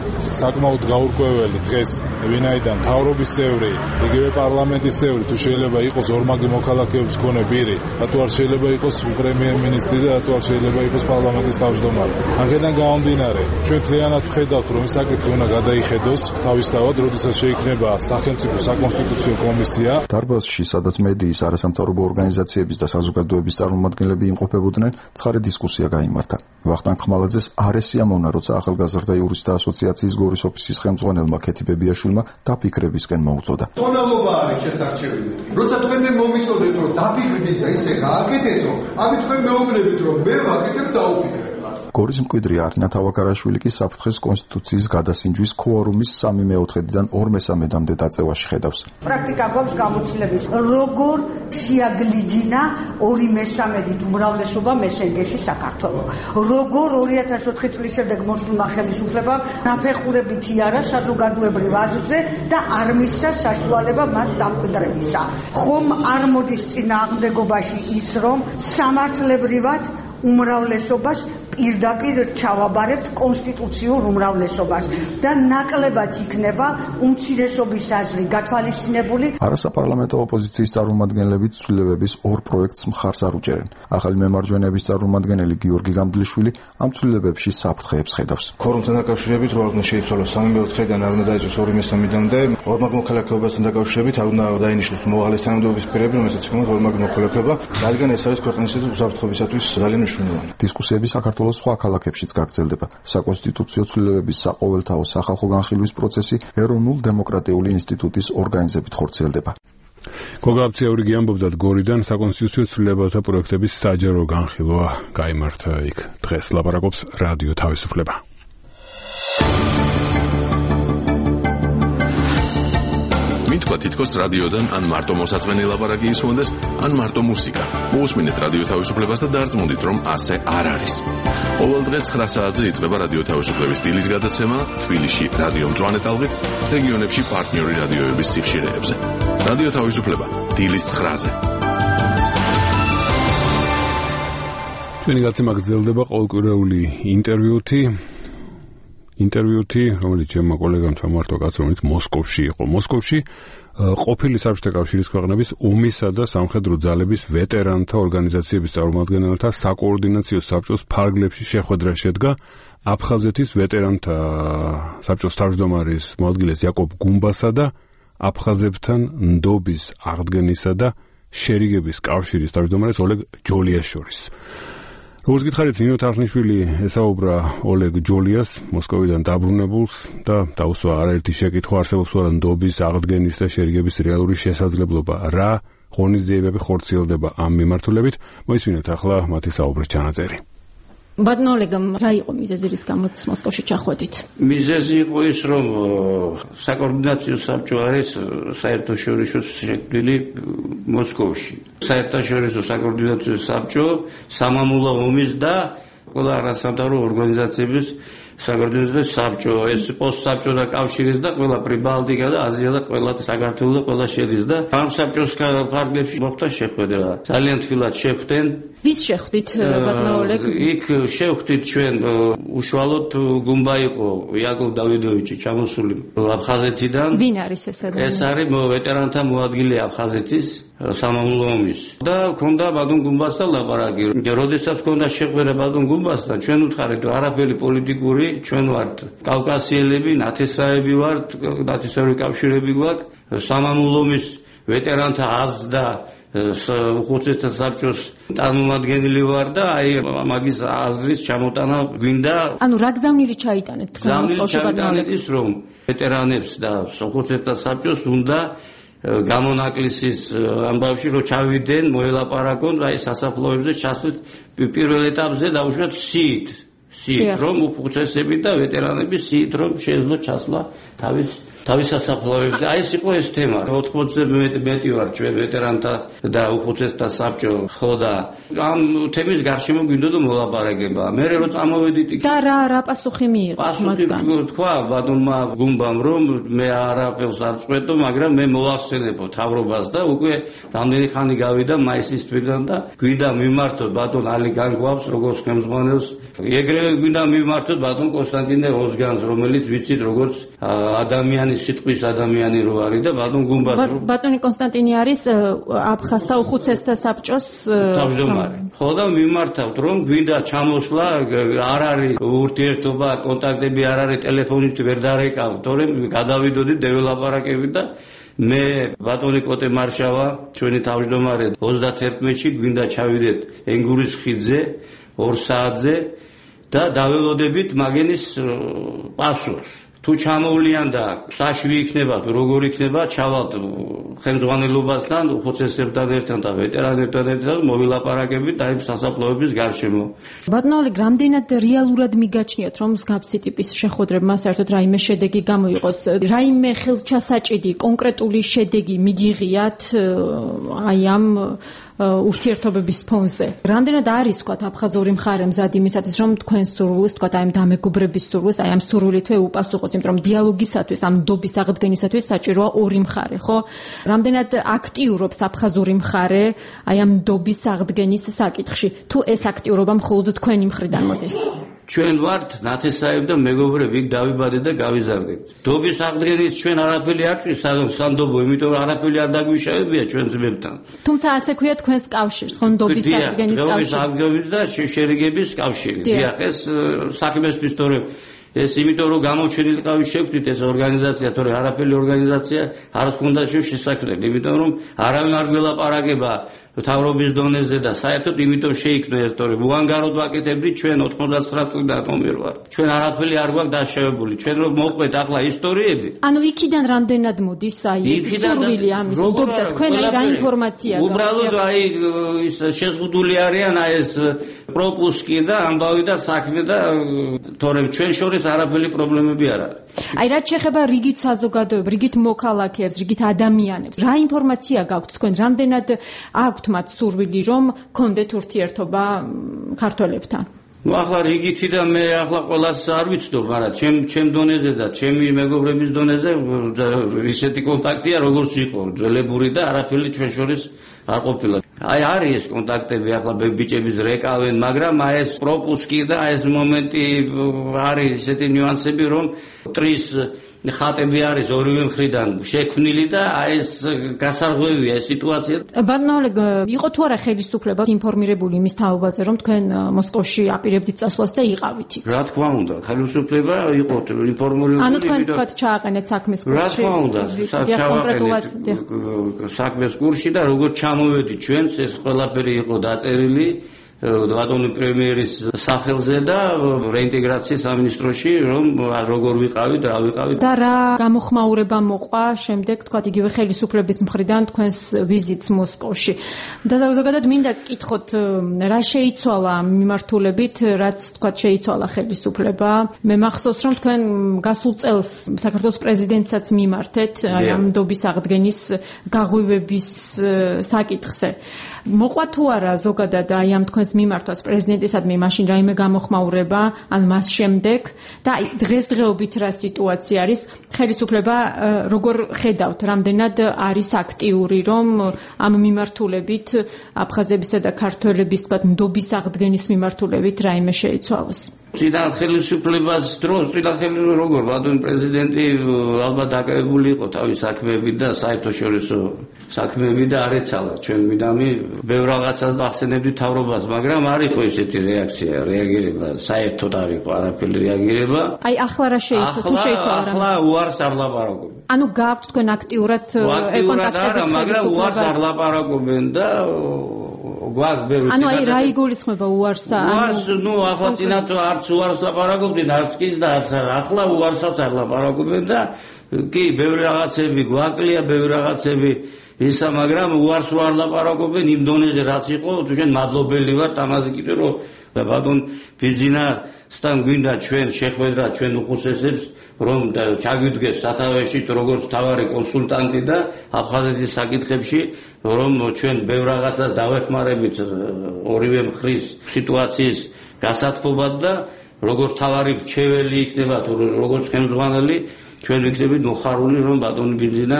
საკმაოდ გაურკვეველი დღეს, ვინაიდან მთავრობის წევრი, იგივე პარლამენტის წევრი თუ შეიძლება იყოს ორმაგი მოქალაქეობის მქონე პირი, რატო არ შეიძლება იყოს პრემიერ-მინისტრი და რატო არ შეიძლება იყოს პარლამენტის თავმჯდომარე. აქედან გამომდინარე, ჩვენ მთლიანად ვხედავთ, რომ ეს საკითხი უნდა გადაიხედოს თავისთავად, როდესაც შეიქმნება სახელმწიფო საკონსტიტუციო კომისია. დარბაზში, სადაც მედიის, არასამთავრობო ორგანიზაციების და საზოგადოების წარმომადგენლები იმყოფებოდნენ, ცხარე დისკუსია გაიმართა. ვახტანგ ხმალაძეს არ ესიამოვნა, როცა ახალგაზრდა იურისტთა ასოციაციის გორის ოფისის ხელმძღვანელმა ქეთი ბებიაშვილმა დაფიქრებისკენ მოუწოდა. ტონალობა არის შესარჩევი. როცა თქვენ მე მომიწოდეთ, რომ დაფიქრდით და ისე გააკეთეთო, ამით თქვენ მეუბნებით, რომ მე ვაკეთებ დაუფიქრებ. გორის მკვიდრი არინა თავაკარაშვილი კი საფრთხეს კონსტიტუციის გადასინჯვის ქვორუმის სამი მეოთხედიდან ორ მესამედამდე დაწევაში ხედავს. პრაქტიკა გვაქვს გამოცდილების, როგორ შეაგლიჯინა ორი მესამედით უმრავლესობა მესენგეში საქართველო. როგორ ორი ათას ოთხი წლის შემდეგ მოსულმა ხელისუფლებამ ნაფეხურებითი არა საზოგადოებრივ აზრზე და არ მისცა საშუალება მას დამკვიდრებისა. ხომ არ მოდის წინააღმდეგობაში ის, რომ სამართლებრივად უმრავლესობას პირდაპირ ჩავაბარებთ კონსტიტუციურ უმრავლესობას და ნაკლებად იქნება უმცირესობის აზრი გათვალისწინებული. არასაპარლამენტო ოპოზიციის წარმომადგენლებით ცვლილებების ორ პროექტს მხარს არ უჭერენ. ახალი მემარჯვენეების წარმომადგენელი გიორგი გამბლიშვილი ამ ცვლილებებში საფრთხეებს ხედავს. ფორუმთან დაკავშირებით რო არ უნდა შეიცვალოს სამი მეოთხედან არ უნდა დაიწოს ორი მესამედამდე ორმაგ მოქალაქეობასთან დაკავშირებით არ უნდა დაინიშნოს მოვალეს თანამდებობის პირები, რომელსაც იქნება ორმაგ მოქალაქეობა, რადგან ეს არის ქვეყნის უსაფრთხოებისათვის ძალიან მნიშვნელოვანი. დისკუსიები საქართველოს სხვა ქალაქებშიც გაგრძელდება. საკონსტიტუციო ცვლილებების საყოველთაო სახალხო განხილვის პროცესი ეროვნულ დემოკრატიული ინსტიტუტის ორგანიზებით ხორციელდება. გოგაბციური გიამბობდათ გორიდან საკონსტიტუციო ცვლილებათა პროექტების საჯარო განხილვა გაიმართა იქ. დღეს ლაპარაკობს რადიო თავისუფლება. მითქვა თითქოს რადიოდან ან მარტო მოსაწყენი ლაპარაკი ისმონდეს, ან მარტო მუსიკა. მოусმინეთ რადიო თავისუფლებას და დარწმუნდით, რომ ასე არ არის. ყოველ დღე ცხრა საათზე იწყება რადიო თავისუფლების დილის გადაცემა თბილისში რადიო მწვანე ტალღით, რეგიონებში პარტნიორი რადიოების სიხშირეებზე. რადიო თავისუფლება დილის ცხრაზე. ჩვენი გაცემა გრძელდება ყოველკვირეული ინტერვიუთი. ინტერვიუთი, რომელიც ჩემმა კოლეგამ ჩამოართვა კაც, რომელიც მოსკოვში იყო. მოსკოვში ყოფილი საბჭოთა კავშირის ქვეყნების ომისა და სამხედრო ძალების ვეტერანთა ორგანიზაციების წარმომადგენელთა საკოორდინაციო საბჭოს ფარგლებში შეხვედრა შედგა აფხაზეთის ვეტერანთა საბჭოს თავმჯდომარის მოადგილეს იაკობ გუმბასა და აფხაზებთან ნდობის აღდგენისა და შერიგების კავშირის თავმჯდომარეს ოლეგ ჯოლიას შორის. როგორც გითხარით, ნინო თარხნიშვილი ესაუბრა ოლეგ ჯოლიას, მოსკოვიდან დაბრუნებულს და დაუსვა არაერთი შეკითხვა არსებობს თუ არა ნდობის აღდგენის და შერიგების რეალური შესაძლებლობა, რა ღონისძიებები ხორციელდება ამ მიმართულებით. მოისმინეთ ახლა მათი საუბრის ჩანაწერი. ბატონო ოლეგამ, რა იყო მიზეზი, რის გამოც მოსკოვში ჩახვედით? მიზეზი იყო ის, რომ საკოორდინაციო საბჭო არის საერთაშორისო შექმნილი მოსკოვში. საერთაშორისო საკოორდინაციო საბჭო სამამულო ომის და ყველა არასამთავრობო ორგანიზაციების საკოორდინაციო საბჭო, ეს პოსტსაბჭოთა კავშირის და ყველა პრიბალტიკა და აზია და ყველა საქართველოს და ყველა შედის და ამ საბჭოს ფარგლებში მოხდა შეხვედრა. ძალიან თბილად შეხვდნენ. ვის შეხვდით, ბატონო ოლეგ? იქ შეხვდით ჩვენ უშუალოდ გუმბა იყო იაკობ დავიდოვიჩი ჩამოსული აფხაზეთიდან. ვინ არის ეს ადამიანი? ეს არის ვეტერანთა მოადგილე აფხაზეთის სამამულო ომის. და ქონდა ბატონ გუმბასთან ლაპარაკი. როდესაც ქონდა შეხვედრა ბატონ გუმბასთან, ჩვენ უთხარით, რომ არაფერი პოლიტიკური, ჩვენ ვართ კავკასიელები, ნათესაები ვართ, ნათესაური კავშირები გვაქვს, სამამულო ომის ვეტერანთა აზრ და უხუცესთა საბჭოს წარმომადგენელი ვარ და აი მაგის აზრის ჩამოტანა გვინდა. ანუ რა გზავნილი ჩაიტანეთ თქვენ მოსკოვში ბატონო? ის რომ ვეტერანებს და უხუცესთა საბჭოს უნდა გამონაკლისის ამბავში რომ ჩავიდნენ, მოელაპარაკონ, აი სასაფლაოებზე ჩასვლით პირველ ეტაპზე დაუშვათ სიით. სიით რომ უხუცესები და ვეტერანები სიით რომ შეეძლო ჩასვლა თავის თავის სასაფლაოებზე. აი ეს იყო ეს თემა. ოთხმოცზე მეტი ვარ ჩვენ ვეტერანთა და უხუცესთა საბჭო, ხო და ამ თემის გარშემო გვინდოდა მოლაპარაკება. მე რო წამოვედით და რა რა პასუხი მიიღო მათგან? თქვა ბატონმა გუმბამ რომ მე არაფერს არ წვეთო, მაგრამ მე მოვახსენებო თავრობას და უკვე რამდენი ხანი გავიდა მაისის თვიდან და გვინდა მიმართოთ ბატონ ალი განგვავს როგორც ხელმძღვანელს. ეგრევე გვინდა მიმართოთ ბატონ კონსტანტინე ოზგანს, რომელიც ვიცით როგორც ადამიანი სიტყვის ადამიანი რო არის და ბატონ გუმბას რო ბატონი კონსტანტინე არის აფხაზთა უხუცესთა საბჭოს თავმჯდომარე. ხო და მიმართავთ რომ გვინდა ჩამოსვლა, არ არის ურთიერთობა, კონტაქტები არ არის, ტელეფონით ვერ დარეკავ, თორემ გადავიდოდით დეველაპარაკებით და მე ბატონი კოტე მარშავა, ჩვენი თავმჯდომარე ოცდაათი გვინდა ჩავიდეთ ენგურის ხიდზე ორ საათზე და დაველოდებით მაგენის პასუხს. თუ ჩამოვლიან და საშვი იქნება, თუ როგორ იქნება, ჩავალთ ხელმძღვანელობასთან, უხუცესებთან ერთად და ვეტერანებთან ერთად მოვილაპარაკებით აი სასაფლაოების გარშემო. ბატონო ოლეგ, რამდენად რეალურად მიგაჩნიათ, რომ მსგავსი ტიპის შეხვედრებმა საერთოდ რაიმე შედეგი გამოიყოს? რაიმე ხელჩასაჭიდი, კონკრეტული შედეგი მიგიღიათ აი ამ ურთიერთობების ფონზე. Რამდენად არის თქვა აფხაზური მხარე მზად იმისათვის, რომ თქვენ სურვილს, თქვა აი ამ დამეგობრების სურვილს, აი ამ სურვილითვე უპასუხოს, იმიტომ რომ დიალოგისათვის, ამ ნდობის აღდგენისათვის საჭიროა ორი მხარე, ხო? Რამდენად აქტიურობს აფხაზური მხარე აი ამ ნდობის აღდგენის საკითხში? თუ ეს აქტიურობა მხოლოდ თქვენი მხრიდან მოდის? ჩვენ ვართ ნათესაები და მეგობრები, იქ დავიბადეთ და გავიზარდეთ. ნდობის აღდგენით ჩვენ არაფერი არ ჭირს სანდობო, იმიტომ რომ არაფერი არ დაგვიშავებია ჩვენ ძმებთან. თუმცა ასე ქვია თქვენს კავშირს, ხო ნდობის აღდგენის კავშირი. ნდობის აღდგენის და შერიგების კავშირი. დიახ, ეს საქმესთვის თორე ეს იმიტომ რომ გამოჩენილი ყავი შევქმნით ეს ორგანიზაცია, თორე არაფერი ორგანიზაცია არ ჰქონდა შესაძლებელი, იმიტომ რომ არავინ არ გველაპარაკება თავრობის დონეზე და საერთოდ იმიტომ შეიქმნა ეს, თორე უანგაროდ ვაკეთებდით ჩვენ ოთხმოცდათსამი წლიდან რომერ ვარ. ჩვენ არაფერი არ გვაქვს დაშავებული. ჩვენ რომ მოყვეთ ახლა ისტორიები. ანუ იქიდან რამდენად მოდის აი ეს სურვილი ამის ნდობისა, თქვენ აი რა ინფორმაცია გაქვთ? უბრალოდ აი ის შეზღუდული არიან აი ეს პროპუსკი და ამბავი და საქმე და თორე ჩვენ შორის არაფერი პრობლემები არ არის. აი რაც შეეხება რიგით საზოგადოებებს, რიგით მოქალაქეებს, რიგით ადამიანებს, რა ინფორმაცია გაქვთ თქვენ? რამდენად აქვთ მათ სურვილი რომ გქონდეთ ურთიერთობა ქართველებთან? ნუ ახლა რიგითი და მე ახლა ყველას არ ვიცნობ, მაგრამ ჩემ ჩემ დონეზე და ჩემი მეგობრების დონეზე ისეთი კონტაქტია როგორც იყო ძველებური და არაფერი ჩვენ შორის არ ყოფილა. აი არის ეს კონტაქტები ახლა ბიჭების რეკავენ, მაგრამ აი ეს პროპუსკი და აი ეს მომენტი არის ესეთი ნიუანსები რომ ტრის ხატები არის ორივე მხრიდან შექმნილი და აი ეს გასარღვევია ეს სიტუაცია. ბანალეგ იყო თუ არა ხელისუფლება ინფორმირებული იმის თაობაზე რომ თქვენ მოსკოვში აპირებდით წასვლას და იყავით იქ? რა თქმა უნდა, ხელისუფლება იყო ინფორმირებული. ანუ თქვენ თქვათ ჩააყენეთ საქმეს კურსში? რა თქმა უნდა, ჩააყენეთ საქმეს კურსში და როგორც ჩამოვედით ჩვენს ეს ყველაფერი იყო დაწერილი ბატონი პრემიერის სახელზე და რეინტეგრაციის სამინისტროში რომ როგორ ვიყავით, რა ვიყავით. და რა გამოხმაურება მოყვა შემდეგ თქვათ იგივე ხელისუფლების მხრიდან თქვენს ვიზიტს მოსკოვში. და ზოგადად მინდა გკითხოთ რა შეიცვალა მიმართულებით, რაც თქვათ შეიცვალა ხელისუფლება. მე მახსოვს რომ თქვენ გასულ წელს საქართველოს პრეზიდენტსაც მიმართეთ აი ამ ნდობის აღდგენის გაღვივების საკითხზე. მოყვა თუ არა ზოგადად აი ამ თქვენს მიმართვას პრეზიდენტისადმი მაშინ რაიმე გამოხმაურება ან მას შემდეგ და აი დღესდღეობით რა სიტუაცია არის ხელისუფლება როგორ ხედავთ რამდენად არის აქტიური რომ ამ მიმართულებით აფხაზებისა და ქართველების თქვათ ნდობის აღდგენის მიმართულებით რაიმე შეიცვალოს? წინა ხელისუფლებას დროს წინა ხელისუფლება როგორ ბატონი პრეზიდენტი ალბათ დაკავებული იყო თავის საქმეებით და საერთაშორისო საქმეებით და არ ეცალა ჩვენ მიდამი ბევრ რაღაცას ახსენებდი თავრობას, მაგრამ არ იყო ესეთი რეაქცია, რეაგირება, საერთოდ არ იყო არაფერი რეაგირება. აი ახლა რა შეიცვალა? თუ შეიცვალა რა? ახლა უარს არ ლაპარაკობენ. ანუ გაქვთ თქვენ აქტიურად კონტაქტები, მაგრამ უარს არ ლაპარაკობენ და გვაქვს ბევრი. ანუ აი რა იგულისხმება უარსა? უარს, ნუ ახლა წინათ არც უარს ლაპარაკობდნენ, არც კი და არც ახლა უარსაც არ ლაპარაკობენ და კი ბევრი რაღაცები გვაკლია, ბევრი რაღაცები ისა, მაგრამ უარს არ ლაპარაკობენ იმ დონეზე რაც იყო, თუ ჩვენ მადლობელი ვართ ამაზე კიდე რომ ბატონ ბიზინასთან გვინდა ჩვენ შეხვედრა ჩვენ უხუცესებს რომ ჩაგვიდგეს სათავეში როგორც თავარი კონსულტანტი და აფხაზეთის საკითხებში რომ ჩვენ ბევრ რაღაცას დავეხმარებით ორივე მხრის სიტუაციის გასათბობად და როგორც თავარი რჩეველი იქნება თუ როგორც ხელმძღვანელი ჩვენ ვიქნებით მოხარული რომ ბატონი ბიზინა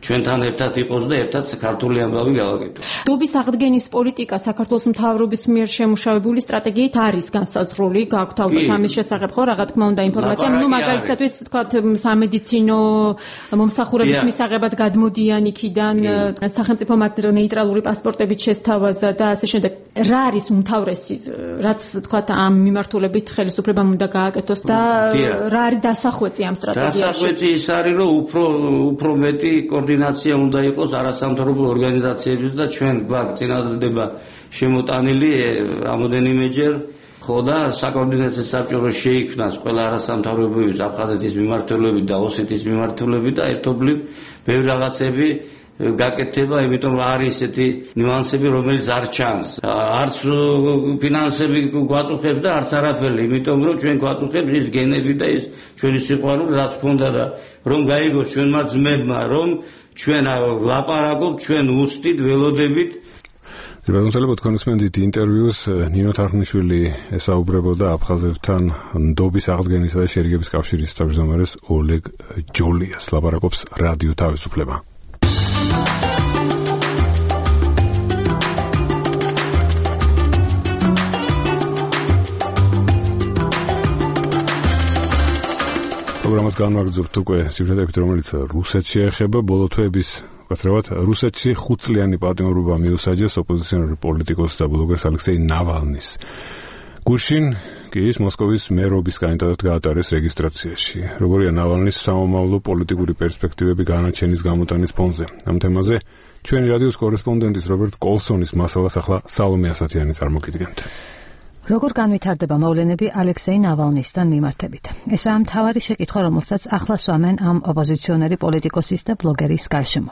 ჩვენთან ერთად იყოს და ერთად ქართული ამბავი გავაკეთოთ. ნდობის აღდგენის პოლიტიკა საქართველოს მთავრობის მიერ შემუშავებული სტრატეგიით არის განსაზღვრული, გაქვთ ალბათ ამის შესახებ ხო რა თქმა უნდა ინფორმაცია, ну მაგალითად თქვათ სამედიცინო მომსახურების მისაღებად გადმოდიან იქიდან, სახელმწიფო მათ ნეიტრალური პასპორტებით შესთავაზა და ასე შემდეგ. რა არის უმთავრესი, რაც თქვათ ამ მიმართულებით ხელისუფლებამ უნდა გააკეთოს და რა არის დასახვეწი ამ სტრატეგიაში? დასახვეწი ის არის რომ უფრო უფრო მეტი კოორდინაცია უნდა იყოს არასამთავრობო ორგანიზაციების და ჩვენ გვაქვს წინადადება შემოტანილი რამოდენიმეჯერ ხო და საკოორდინაციო საბჭო შეიქმნას ყველა არასამთავრობოების აფხაზეთის მიმართულებით და ოსეთის მიმართულებით და ერთობლივ ბევრი რაღაცები გაკეთება, იმიტომ რომ არის ესეთი ნიუანსები, რომელიც არ ჩანს. არც ფინანსები გვაწუხებს და არც არაფერი, იმიტომ რომ ჩვენ გვაწუხებს ის გენები და ის ჩვენი სიყვარული, რაც ქონდა და რომ გაიგოს ჩვენმა ძმებმა, რომ ჩვენ ლაპარაკობთ, ჩვენ უსტით, ველოდებით. ბატონო, თქვენ უსმენთ ინტერვიუს ნინო თარხნიშვილი ესაუბრებოდა აფხაზებთან ნდობის აღდგენისა და შერიგების კავშირის თავმჯდომარეს ოლეგ ჯოლიას. ლაპარაკობს რადიო თავისუფლება. პროგრამას განვაგრძობთ უკვე სიუჟეტებით, რომელიც რუსეთს შეეხება. ბოლო თვეების გასწრებად რუსეთში ხუთწლიანი პატიმრობა მიუსაჯეს ოპოზიციონერი პოლიტიკოს და ბლოგერს ალექსეი ნავალნის. გუშინ კი ის მოსკოვის მერობის კანდიდატად გაატარეს რეგისტრაციაში. როგორია ნავალნის სამომავლო პოლიტიკური პერსპექტივები განაჩენის გამოტანის ფონზე? ამ თემაზე ჩვენი რადიოს კორესპონდენტის რობერტ კოლსონის მასალას ახლა სალომე ასათიანი წარმოგიდგენთ. როგორ განვითარდება მოვლენები ალექსეი ნავალნისთან მიმართებით? ესაა მთავარი შეკითხვა, რომელსაც ახლა სვამენ ამ ოპოზიციონერი პოლიტიკოსის და ბლოგერის გარშემო.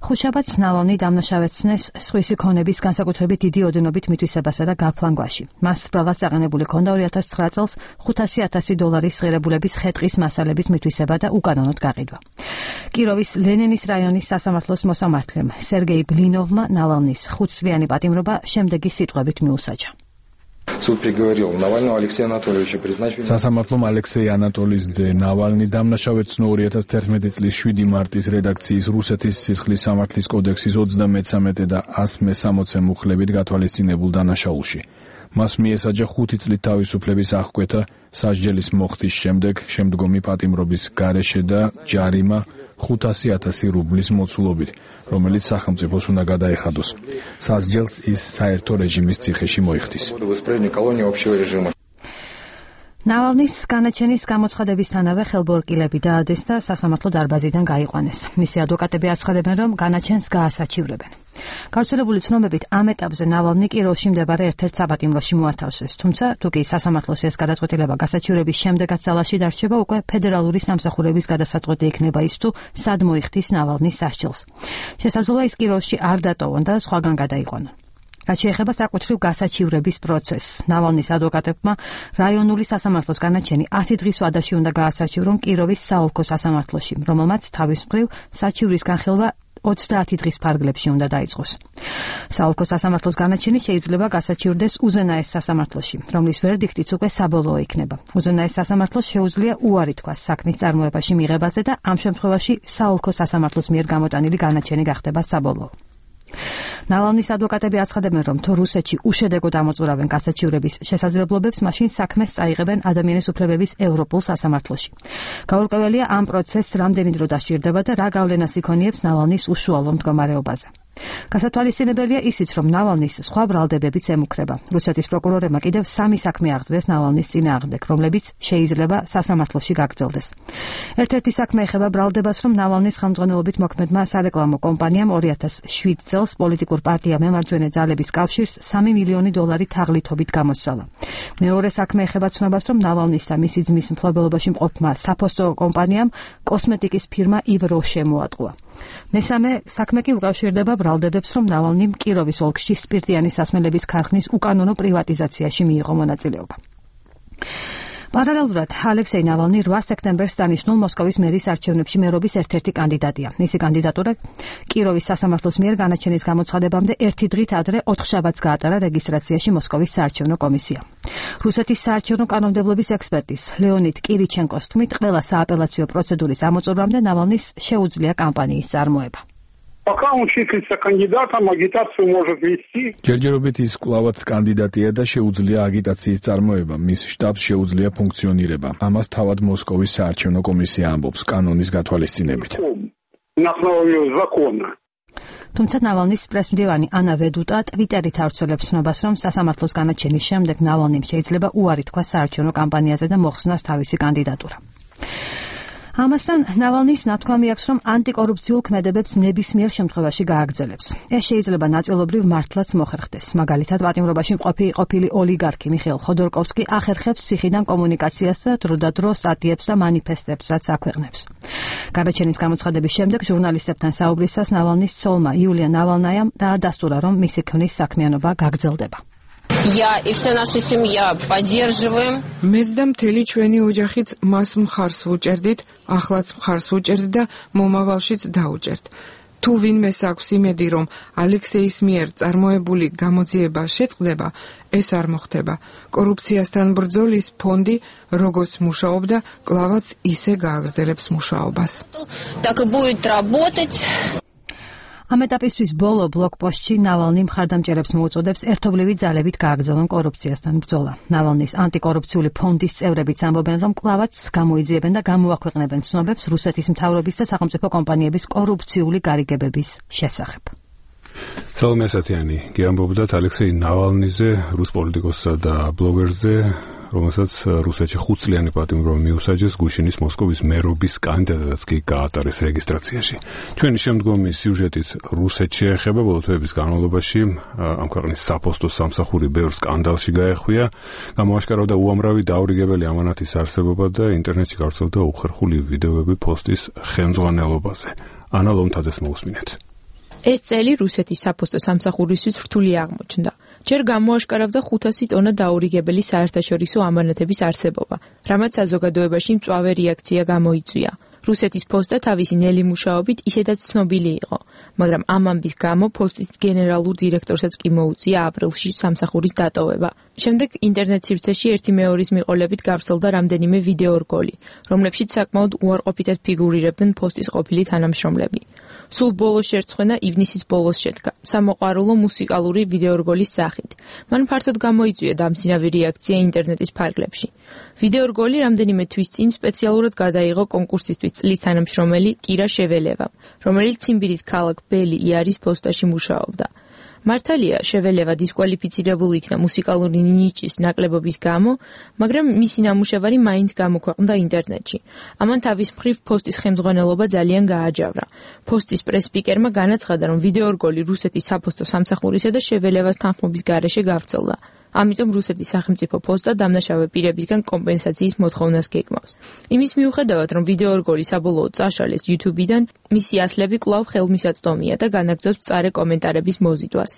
ხუთშაბათს ნავალნი დამნაშავეცნეს სხვისი ქონების განსაკუთრებით დიდი ოდენობით მითვისებასა და გაფლანგვაში. მას სბრალად საყენებული ჰქონდა ორი ათას ცხრა წელს ხუთასი ათასი დოლარის ღირებულების ხეტყის მასალების მითვისება და უკანონოდ გაყიდვა. კიროვის ლენინის რაიონის სასამართლოს მოსამართლემ სერგეი ბლინოვმა ნავალნის ხუთწლიანი პატიმრობა შემდეგი სიტყვებით მიუსაჯა. Суд приговорил Навального Алексея Анатольевича призначить. სასამართლომ ალექსეი ანატოლის ძე ნავალნი დამნაშავეცნო ორი ათას თერთმეტი წლის შვიდი მარტის რედაქციის რუსეთის სისხლის სამართლის კოდექსის ოცდამეცამეტე და ას მესამოცე მუხლებით გათვალისწინებულ დანაშაულში. მას მიესაჯა ხუთი წლით თავისუფლების აღკვეთა სასჯელის მოხდის შემდეგ შემდგომი პატიმრობის გარეშე და ჯარიმა ხუთასი ათასი რუბლის მოცულობით, რომელიც სახელმწიფოს უნდა გადაეხადოს. სასჯელს ის საერთო რეჟიმის ციხეში მოიხდის. ნავალნის განაჩენის გამოცხადებისთანავე ხელბორკილები დაადეს და სასამართლო დარბაზიდან გაიყვანეს. მისი ადვოკატები აცხადებენ, რომ განაჩენს გაასაჩივრებენ. გავრცელებული ცნობებით ამ ეტაპზე ნავალნი კიროვში მდებარე ერთ-ერთ საპატიმროში მოათავსეს, თუმცა თუ კი სასამართლოს ეს გადაწყვეტილება გასაჩივრების შემდეგაც ძალაში დარჩება, უკვე ფედერალური სამსახურების გადასაწყვეტი იქნება ის თუ სად მოიხდის ნავალნის სასჯელს. შესაძლოა ის კიროვში არ დატოვონ და სხვაგან გადაიყვანონ. რაც შეეხება საკუთრივ გასაჩივრების პროცესს, ნავალნის ადვოკატებმა რაიონული სასამართლოს განაჩენი ათი დღის ვადაში უნდა გაასაჩივრონ კიროვის საოლქო სასამართლოში, რომელმაც თავის მხრივ საჩივრის განხილვა ოცდაათი დღის ფარგლებში უნდა დაიწყოს. საოლქო სასამართლოს განაჩენი შეიძლება გასაჩივრდეს უზენაეს სასამართლოში, რომლის ვერდიქტიც უკვე საბოლოო იქნება. უზენაეს სასამართლოს შეუძლია უარი თქვას საქმის წარმოებაში მიღებაზე და ამ შემთხვევაში საოლქო სასამართლოს მიერ გამოტანილი განაჩენი გახდება საბოლოო. ნავალნის ადვოკატები აცხადებენ, რომ თუ რუსეთში უშედეგოდ ამოწურავენ გასაჩივრების შესაძლებლობებს, მაშინ საქმეს წაიღებენ ადამიანის უფლებების ევროპულ სასამართლოში. გაურკვეველია ამ პროცესს რამდენი დრო დასჭირდება და რა გავლენას იქონიებს ნავალნის უშუალო მდგომარეობაზე. გასათვალისწინებელია ისიც, რომ ნავალნის სხვა ბრალდებებიც ემუქრება. რუსეთის პროკურორებმა კიდევ სამი საქმე აღძრეს ნავალნის წინააღმდეგ, რომლებიც შეიძლება სასამართლოში გაგრძელდეს. ერთ-ერთი საქმე ეხება ბრალდებას, რომ ნავალნის ხელმძღვანელობით მოქმედმა სარეკლამო კომპანიამ ორი ათას შვიდ წელს პოლიტიკურ პარტია მემარჯვენე ძალების კავშირს სამი მილიონი დოლარი თაღლითობით გამოსცალა. მეორე საქმე ეხება ცნობას, რომ ნავალნის და მისი ძმის მფლობელობაში მყოფმა საფოსტო კომპანიამ კოსმეტიკის ფირმა ივ როშე მოატყუა. მესამე საქმე კი უკავშირდება ბრალდებებს, რომ ნავალნიმ კიროვის ოლქში სპირტიანი სასმელების ქარხნის უკანონო პრივატიზაციაში მიიღო მონაწილეობა. პარალელურად ალექსეი ნავალნი რვა სექტემბერს დანიშნულ მოსკოვის მერის არჩევნებში მერობის ერთ-ერთი კანდიდატია. მისი კანდიდატურა კიროვის სასამართლოს მიერ განაჩენის გამოცხადებამდე ერთი დღით ადრე ოთხშაბათს გაატარა რეგისტრაციაში მოსკოვის საარჩევნო კომისია. რუსეთის საარჩევნო კანონმდებლობის ექსპერტის ლეონიდ კირიჩენკოს თქმით, ყველა სააპელაციო პროცედურის ამოწურვამდე ნავალნის შეუძლია კამპანიის წარმოება. Пока он числится кандидатом, агитацию может вести. ჯერჯერობით ის კვლავაც კანდიდატია და შეუძლია აგიტაციის წარმოება, მის შტაბს შეუძლია ფუნქციონირება. ამას თავად მოსკოვის საარჩევნო კომისია ამბობს კანონის გათვალისწინებით. На основе закона. თუმცა ნავალნის პრესმდივანი ანა ვედუტა ტვიტერით ავრცელებს ცნობას, რომ სასამართლოს განაჩენის შემდეგ ნავალნიმ შეიძლება უარი თქვა საარჩევნო კამპანიაზე და მოხსნას თავისი კანდიდატურა. ამასთან ნავალნის ნათქვამი აქვს, რომ ანტიკორუფციულ ქმედებებს ნებისმიერ შემთხვევაში გააგრძელებს. ეს შეიძლება ნაწილობრივ მართლაც მოხერხდეს. მაგალითად, პატიმრობაში მყოფი ყოფილი ოლიგარქი მიხეილ ხოდორკოვსკი ახერხებს ციხიდან კომუნიკაციას და დროდადრო სტატიებს და მანიფესტებსაც აქვეყნებს. განაჩენის გამოცხადების შემდეგ ჟურნალისტებთან საუბრისას ნავალნის ცოლმა იულია ნავალნაიამ დაადასტურა, რომ მისი ქმრის საქმიანობა გაგრძელდება. Я и вся наша семья поддерживаем. მეც და მთელი ჩვენი ოჯახიც მას მხარს ვუჭერდით, ახლაც მხარს ვუჭერდით და მომავალშიც დაუჭერთ. თუ ვინმეს აქვს იმედი, რომ ალექსეის მიერ წარმოებული გამოძიება შეწყდება, ეს არ მოხდება. კორუფციასთან ბრძოლის ფონდი, როგორც მუშაობდა, კლავაც ისე გააგრძელებს მუშაობას. Так и будет работать. ამ ეტაპისთვის ბოლო ბლოგპოსტში ნავალნი მხარდამჭერებს მოუწოდებს ერთობლივი ძალებით გააგრძელონ კორუფციასთან ბრძოლა. ნავალნის ანტიკორუფციული ფონდის წევრებიც ამბობენ, რომ კლავაც გამოიძიებენ და გამოაქვეყნებენ ცნობებს რუსეთის მთავრობის და სახელმწიფო კომპანიების კორუფციული გარიგებების შესახებ. სალომე ასათიანი გიამბობდათ ალექსეი ნავალნიზე, რუს პოლიტიკოსსა და ბლოგერზე, რომელსაც რუსეთში ხუთწლიანი პატიმრობა მიუსაჯეს გუშინის მოსკოვის მერობის კანდიდატადაც კი გაატარეს რეგისტრაციაში. ჩვენი შემდგომი სიუჟეტით რუსეთში ეხება ბოლო თვეების განმავლობაში ამ ქვეყნის საფოსტო სამსახური ბევრ სკანდალში გაეხვია, გამოაშკარავდა უამრავი დაურიგებელი ამანათის არსებობა და ინტერნეტში გავრცელდა უხერხული ვიდეოები პოსტის ხელმძღვანელობაზე. ანა ლომთაძეს მოусმინეთ. ეს წელი რუსეთის საფოსტო სამსახურისთვის რთული აღმოჩნდა. ჯერ გამოაშკარავდა ხუთასი ტონა დაურიგებელი საერთაშორისო ამანათების არსებობა, რამაც საზოგადოებაში მწვავე რეაქცია გამოიწვია. რუსეთის ფოსტა თავისი ნელი მუშაობით ისედაც ცნობილი იყო, მაგრამ ამ ამბის გამო ფოსტის გენერალურ დირექტორსაც კი მოუწია აპრილში სამსახურის დატოვება. შემდეგ ინტერნეტ სივრცეში ერთი მეორის მიყოლებით გავრცელდა რამდენიმე ვიდეო რგოლი, რომლებშიც საკმაოდ უარყოფითად ფიგურირებდნენ ფოსტის ყოფილი თანამშრომლები. სულ ბოლოს შერწყმენა ივნისის ბოლოს შედგა, სამოყვარულო მუსიკალური ვიდეორგოლის სახით. მან ფართოდ გამოიწვია დამცინავი რეაქცია ინტერნეტის ფარგლებში. ვიდეორგოლი რამდენიმე თვის წინ სპეციალურად გადაიღო კონკურსისთვის წლის თანამშრომელი კირა შეველევამ, რომელიც ციმბირის ქალაქ ბელი იარის პოსტაში მუშაობდა. მართალია, შეველევა დისკვალიფიცირებული იქნა მუსიკალური ნიჭის ნაკლებობის გამო, მაგრამ მისი ნამუშევარი მაინც გამოქვეყნდა ინტერნეტში. ამან თავის მხრივ პოსტის ხელმძღვანელობა ძალიან გააჯავრა. პოსტის პრეს-სპიკერმა განაცხადა, რომ ვიდეორგოლი რუსეთის საფოსტო სამსახურისა და შეველევას თანხმობის გარეშე გავრცელდა. ამიტომ რუსეთის სახელმწიფო პოსტა დამნაშავე პირებისგან კომპენსაციის მოთხოვნას გეგმავს. იმის მიუხედავად, რომ ვიდეორგოლი საბოლოოდ წაშალეს YouTube-დან, მისი ასლები კვლავ ხელმისაწვდომია და განაგრძობს მწარე კომენტარების мозидвас.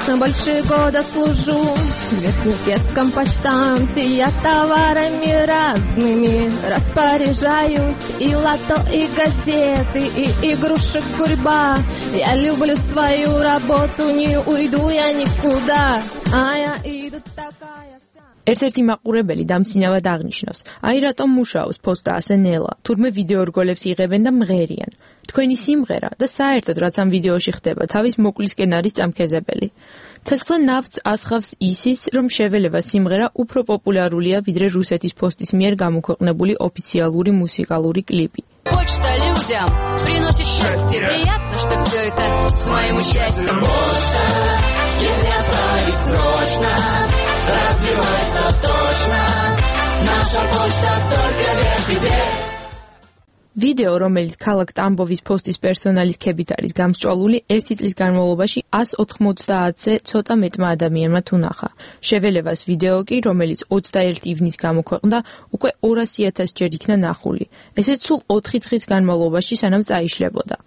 Больше года служу в Верхнепетском почтамте, я товарами разными распоряжаюсь, и лото, и газеты, и игрушек гурьба. Я люблю свою работу, не уйду я никуда, а я иду такая. ერთ-ერთი მაყურებელი დამცინავად აღნიშნავს, აი რატომ მუშაობს პოსტა ასე ნელა, თურმე ვიდეორგოლებს იღებენ და მღერიან. თქვენი სიმღერა და საერთოდ რაც ამ ვიდეოში ხდება, თავის მოკლისკენ არის წამქეზებელი. თესლა ნავთს ასხავს ისიც, რომ შეველევა სიმღერა უფრო პოპულარულია, ვიდრე რუსეთის постის მიერ გამოქვეყნებული ოფიციალური მუსიკალური კლიპი. Почта людям приносит счастье, приятно, что все это с моим счастьем. Почта, если отправить срочно, развивается точно, наша почта только вверх-вверх. ვიდეო, რომელიც ქალაქ ტამბოვის პოსტის პერსონალის ქებით არის გამსჭვალული, ერთი წლის განმავლობაში εκατს ოთხმოცდაათზე ცოტა მეტმა ადამიანმა თუ ნახა. შეველევას ვიდეო კი, რომელიც ოცდაერთი ივნის გამოქვეყნდა, უკვე ორასი ათასი ჯერ იქნა ნახული. ესეც სულ ოთხი დღის განმავლობაში, სანამ წაიშლებოდა.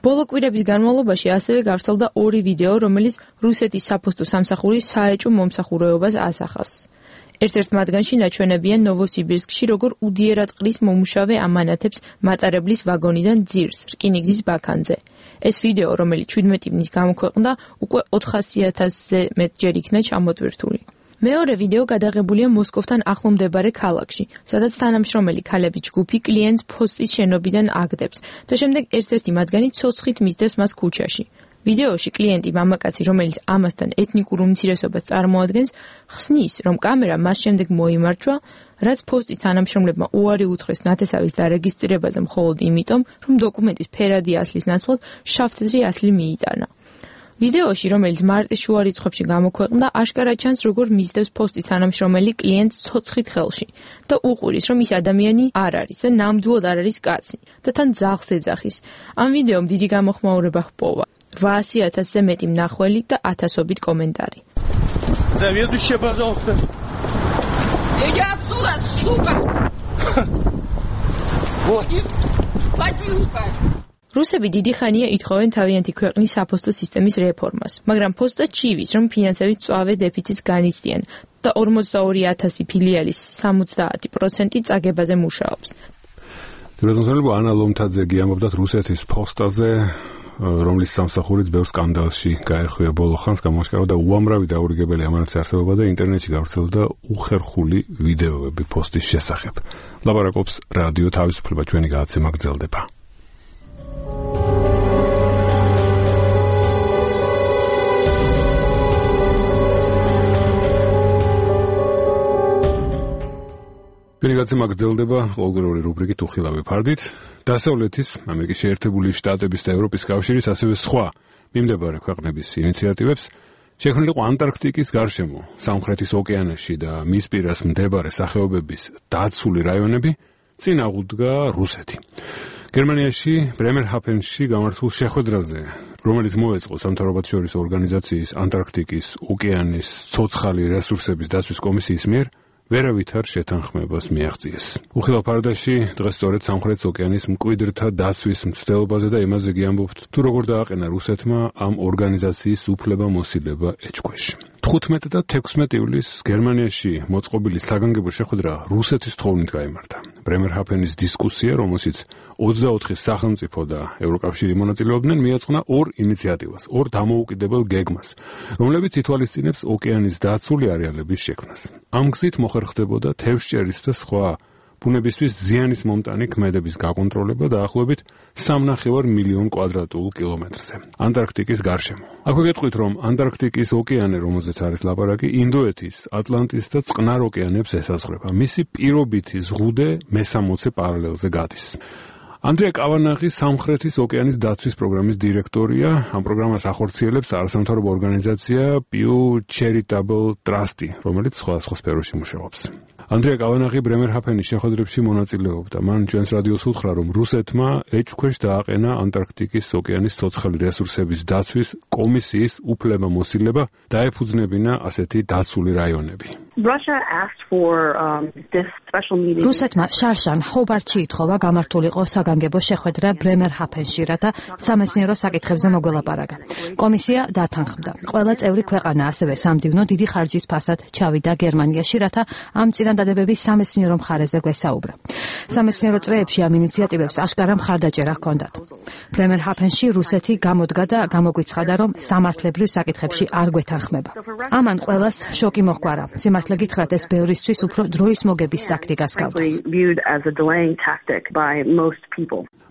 ბოლო კვირების განმავლობაში ასევე გავრცელდა ორი ვიდეო, რომელიც რუსეთის საფოსტო სამსახურის საეჭვო მომსახურეობას ასახავს. ერთ-ერთ მათგანში ნაჩვენებია ნოვოსიბირსკში, როგორ უდიერად ყრის მომუშავე ამანათებს მატარებლის ვაგონიდან ძირს, რკინიგზის ბაქანზე. ეს ვიდეო, რომელიც შვიდმეტი ივნის გამოქვეყნდა, უკვე ოთხასი ათასზე მეტჯერ იქნა ჩამოტვირთული. მეორე ვიდეო გადაღებულია მოსკოვთან ახლო მდებარე ქალაქში, სადაც თანამშრომელი ქალების ჯგუფი კლიენტს პოსტის შენობიდან აგდებს და შემდეგ ერთ-ერთი მათგანი ცოცხლით მისდევს მას ქუჩაში. ვიდეოში კლიენტი მამაკაცი, რომელიც ამასთან ეთნიკურ უმცირესობას წარმოადგენს, ხსნის, რომ კამერა მას შემდეგ მოიმარჯვა, რაც პოსტის თანამშრომლებმა უარი უთხრეს ნათესავის დარეგისტრირებაზე მხოლოდ იმიტომ, რომ დოკუმენტის ფერადი ასლის ნაცვლად შავთეთრი ასლი მიიტანა. ვიდეოში, რომელიც მარტის შუა რიცხვებში გამოქვეყნდა, აშკარად ჩანს, როგორ მისდევს პოსტის თანამშრომელი კლიენტს ცოცხლით ხელში და უყურის, რომ ის ადამიანი არ არის და ნამდვილად არ არის კაცი და თან ძაღლს ეძახის. ამ ვიდეომ დიდი გამოხმაურება ჰპოვა. восемь ათასზე მეტი მნახველი და ათასობით კომენტარი. Заведующая, пожалуйста. Иди отсюда, сука! Вот. Падлюка! რუსები დიდი ხანია ითხოვენ თავიანთი ქვეყნის საფოსტო სისტემის რეფორმას, მაგრამ პოსტა ჩივის, რომ ფინანსების მწვავე დეფიციტს განიცდიან და ორმოცდაორი ათასი ფილიალის სამოცდაათი პროცენტი წაგებაზე მუშაობს. დირექტორები ანა ლომთაძე გიამბობდათ რუსეთის პოსტაზე რომლის სამსახურიც ბევრ სკანდალში გაერხვია ბოლო ხანს, გამოაშკარავდა უამრავი დაურიგებელი ამანების არსებობა და ინტერნეტში გავრცელდა უხერხული ვიდეოები პოსტის შესახებ. ლაპარაკობს რადიო თავისუფლება, ჩვენი გადაცემა გრძელდება. ჩვენი გადაცემა გრძელდება ყოველგვაროვანი რუბრიკით უხილავი ფარდით. დასავლეთის, ამერიკის შეერთებული შტატების და ევროპის კავშირის, ასევე სხვა მიმდებარე ქვეყნების ინიციატივებს შექმნილი იყო ანტარქტიკის გარშემო, სამხრეთის ოკეანეში და მის პირას მდებარე სახეობების დაცული რაიონები წინ აღუდგა რუსეთი. გერმანიაში ბრემერჰაფენში გამართულ შეხვედრაზე, რომელიც მოეწყო სამთავრობათშორისო ორგანიზაციის ანტარქტიკის ოკეანის ცოცხალი რესურსების დაცვის კომისიის მიერ, ვერავითარ შეთანხმებას მიაღწიეს. უხილავ ფარდაში დღეს სწორედ სამხრეთის ოკეანის მკვიდრთა დაცვის მცდელობაზე და იმაზე გიამბობთ, თუ როგორ დააყენა რუსეთმა ამ ორგანიზაციის უფლება-მოსილება ეჭქვეშ. თხუთმეტი და თექვსმეტი ივლისს გერმანიაში მოწყობილი საგანგებო შეხვედრა რუსეთის თხოვნით გაიმართა. ბრემერჰაფენის დისკუსია, რომელშიც ოცდაოთხი სახელმწიფო და ევროკავშირი მონაწილეობდნენ, მიაწყნა ორ ინიციატივას, ორ დამოუკიდებელ გეგმას, რომლებიც ითვალისწინებს ოკეანის დაცული არეალების შექმნას. ამ გზით მოხერხდებოდა თევზჭერის და სხვა ბუნებისთვის ზიანის მომტანი ქმედების გაკონტროლება დაახლოებით სამნახევარ მილიონ კვადრატულ კილომეტრზე ანტარქტიკის გარშემო. აქვე გეტყვით, რომ ანტარქტიკის ოკეანე, რომელზეც არის ლაპარაკი, ინდოეთის, ატლანტის და წყნარ ოკეანეებს ესაზღვრება. მისი პირობითი ზღუდე მესამოცე პარალელზე გადის. ანდრია კავანაღი სამხრეთის ოკეანის დაცვის პროგრამის დირექტორია. ამ პროგრამას ახორციელებს არასამთავრობო ორგანიზაცია Pew Charitable Trust, რომელიც სხვადასხვა სფეროში მუშაობს. ანდრია კავანაღი ბრემერჰაფენის შეხვედრებში მონაწილეობდა. მან ჩვენს რადიოს უთხრა, რომ რუსეთმა ეჭქვეშ დააყენა ანტარქტიკის ოკეანის ცოცხალი რესურსების დაცვის კომისიის უფლება-მოსილება დაეფუძნებინა ასეთი დაცული რაიონები. რუსეთმა შარშან ჰობარტში ითხოვა გამართულიყო საგანგებო შეხვედრა ბრემერჰაფენში, რათა სამეცნიერო საკითხებზე მოგველაპარაკა. კომისია დათანხმდა. ყველა წევრი ქვეყანა, ასევე სამდივნო დიდი ხარჯის ფასად ჩავიდა გერმანიაში, რათა ამ წინადადებების სამეცნიერო მხარეზე გვესაუბრა. სამეცნიერო წრეებში ამ ინიციატივებს აშკარა მხარდაჭერა ჰქონდათ. ბრემერჰაფენში რუსეთი გამოდგა და გამოგვიცხადა, რომ სამართლებრივ საკითხებში არ გვეთანხმება. ამან ყველას შოკი მოჰგვარა. სიმართლე გითხრათ, ეს ბევრისთვის უფრო დროის მოგების ტაქტიკას გავდა.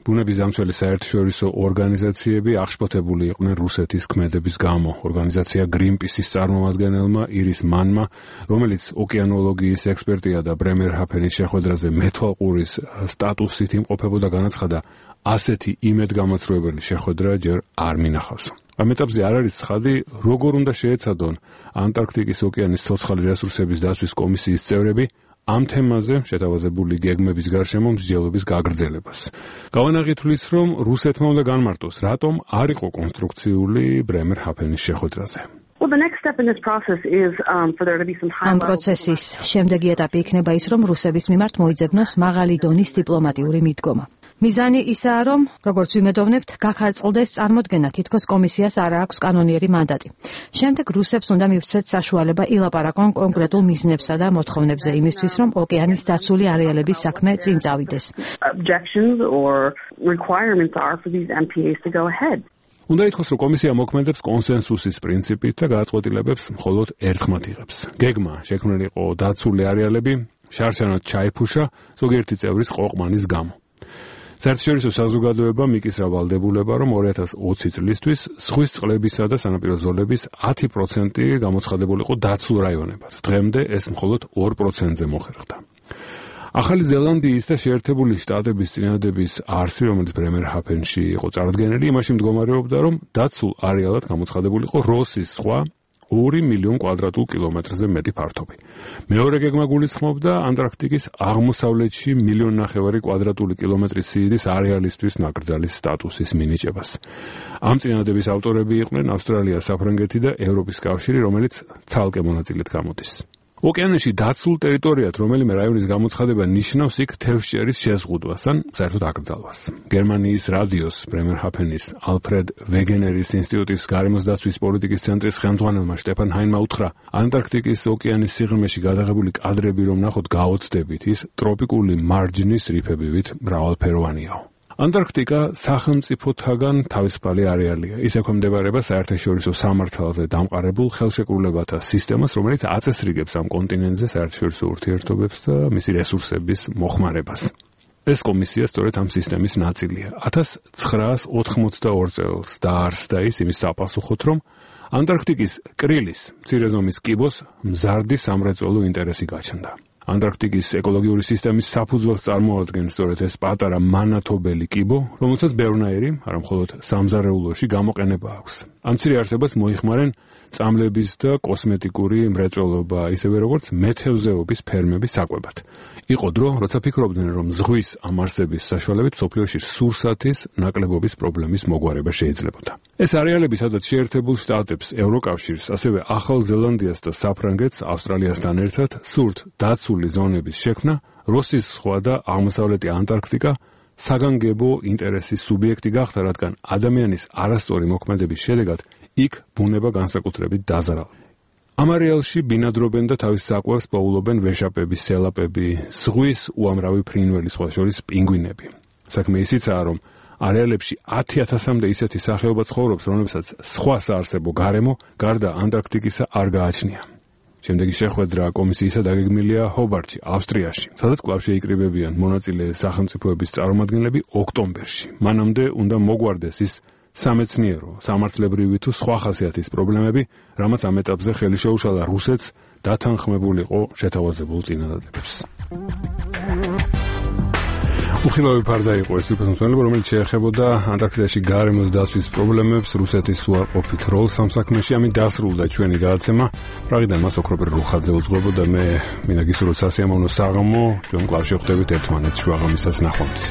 ბუნების დამცველი საერთაშორისო ორგანიზაციები აღშფოთებული იყვნენ რუსეთის ქმედების გამო. ორგანიზაცია Greenpeace-ის წარმომადგენელმა ირის მანმა, რომელიც ოკეანოლოგიის ექსპერტია და ბრემერჰაფენის შეხვედრაზე მეთვალყურის სტატუსით იმყოფებოდა, განაცხადა, ასეთი იმედგამაცრუებელი შეხვედრა ჯერ არ მინახავს. ამ ეტაპზე არ არის ცხადი, როგორ უნდა შეეცადონ ანტარქტიკის ოკეანის ცოცხალი რესურსების დაცვის კომისიის წევრები ამ თემაზე შეთავაზებული გეგმების გარშემო მსჯელობის გაგრძელებას. კავანაღი თვლის, რომ რუსეთმა უნდა განმარტოს, რატომ არ იყო კონსტრუქციული ბრემერჰაფენის შეხვედრაზე. ამ პროცესის შემდეგი ეტაპი იქნება ის, რომ რუსების მიმართ მოიძებნოს მაღალი დონის დიპლომატიური მიდგომა. მიზანი ისაა, რომ, როგორც ვიმედოვნებთ, გაქარწყლდეს წარმოდგენა, თითქოს კომისიას არ აქვს კანონიერი მანდატი. შემდეგ რუსებს უნდა მივცეთ საშუალება ილაპარაკონ კონკრეტულ მიზნებსა და მოთხოვნებზე იმისთვის, რომ ოკეანის დაცული არეალების საქმე წინ წავიდეს. უნდა ითქვას, რომ კომისია მოქმედებს კონსენსუსის პრინციპით და გადაწყვეტილებებს მხოლოდ ერთხმად იღებს. გეგმა შექმნილი იყო დაცული არეალები შარშანად ჩაიფუშა ზოგიერთი წევრის ყოყმანის გამო. საერთაშორისო საზოგადოება მიკისრა ვალდებულება, რომ ორი ათას ოცი წლისთვის ზღვის წყლებისა და სანაპირო ზოლების ათი პროცენტი გამოცხადებულიყო დაცულ რაიონებად. დღემდე ეს მხოლოდ ორ პროცენტზე მოხერხდა. ახალი ზელანდიის და შეერთებული შტატების წინადადების არსი, რომელიც ბრემერჰაფენში იყო წარდგენილი, იმაში მდგომარეობდა, რომ დაცულ არეალად გამოცხადებულიყო როსის ზღვა ორი მილიონ კვადრატულ კილომეტრზე მეტი ფართობი. მეორე გეგმა გულისხმობდა ანტარქტიკის აღმოსავლეთში მილიონ ნახევარი კვადრატული კილომეტრის სიდიდის არეალისთვის ნაკრძალის სტატუსის მინიჭებას. ამ წინადადების ავტორები იყვნენ ავსტრალია, საფრანგეთი და ევროპის კავშირი, რომელიც ცალკე მონაწილედ გამოდის. ოკეანეში დაცულ ტერიტორიად რომელიმე რაიონის გამოცხადება ნიშნავს იქ თევზჭერის შეზღუდვას ან საერთოდ აკრძალვას. გერმანიის რადიოს ბრემერჰაფენის ალფრედ ვეგენერის ინსტიტუტის გარემოს დაცვის პოლიტიკის ცენტრის ხელმძღვანელმა შტეფან ჰაინმა უთხრა, ანტარქტიკის ოკეანის სიღრმეში გადაღებული კადრები რომ ნახოთ გაოცდებით, ის ტროპიკული მარჯნის რიფებივით მრავალფეროვანიაო. ანტარქტიკა სახელმწიფოთაგან თავისუფალი არეალია. ის ექვემდებარება საერთაშორისო სამართალზე დამყარებულ ხელშეკრულებათა სისტემას, რომელიც აწესრიგებს ამ კონტინენტზე საერთაშორისო ურთიერთობებს და მისი რესურსების მოხმარებას. ეს კომისია სწორედ ამ სისტემის ნაწილია. ათას ცხრაას ოთხმოცდაორ წელს დაარსდა ის იმის საპასუხოდ, რომ ანტარქტიკის კრილის მცირე ზომის კიბოს მზარდი სამრეწველო ინტერესი გაჩნდა. ანტარქტიკის ეკოლოგიური სისტემის საფუძველს წარმოადგენს სწორედ ეს პატარა მანათობელი კიბო, რომელსაც ბევრნაირი, არა მხოლოდ სამზარეულოში გამოყენება აქვს. ამ მცირე არსებას მოიხმარენ წამლების და კოსმეტიკური მრეწველობა, ისევე როგორც მეთევზეობის ფერმები საკვებად. იყო დრო, როცა ფიქრობდნენ, რომ ზღვის ამ არსების საშუალებით მსოფლიოში სურსათის ნაკლებობის პრობლემის მოგვარება შეიძლებოდა. ეს არეალები, სადაც შეერთებულ შტატებს, ევროკავშირს, ასევე ახალ ზელანდიას და საფრანგეთს ავსტრალიასთან ერთად სურთ დაცული ზონების შექმნა, როსის ზღვა და აღმოსავლეთი ანტარქტიკა საგანგებო ინტერესის სუბიექტი გახდა, რადგან ადამიანის არასწორი მოქმედების შედეგად იქ ბუნება განსაკუთრებით დაზარალდა. ამ არეალში ბინადრობენ და თავის საკვებს პოულობენ ვეშაპები, სელაპები, ზღვის უამრავი ფრინველი, სხვა შორის პინგვინები. საქმე ისიცაა, რომ არეალებში ათი ათასამდე ისეთი სახეობა ცხოვრობს, რომლებსაც სხვა საარსებო გარემო გარდა ანტარქტიკისა არ გააჩნია. შემდეგი შეხვედრა კომისიისა დაგეგმილია ჰობარტში, ავსტრიაში, სადაც კვლავ შეიკრიბებიან მონაწილე სახელმწიფოების წარმომადგენლები ოქტომბერში. მანამდე უნდა მოგვარდეს ის სამეცნიერო, სამართლებრივი თუ სხვა ხასიათის პრობლემები, რამაც ამ ეტაპზე ხელი შეუშალა რუსეთს დათანხმებულიყო შეთავაზებულ წინადადებებს. უხილავი ფარდა იყო ეს თვითმფრინავება, რომელიც შეეხებოდა ანტარქტიდაში გარემოს დაცვის პრობლემებს, რუსეთის უარყოფით როლს ამ საქმეში. ამით დასრულდა ჩვენი გადაცემა. პრაღიდან მას ოქროპერ რუხაძე უძღვებოდა, მე მინდა გისურვოთ სასიამოვნო საღამო, ჩვენ კვლავ შევხვდებით ერთმანეთს შუაღამისას ნახვამდის.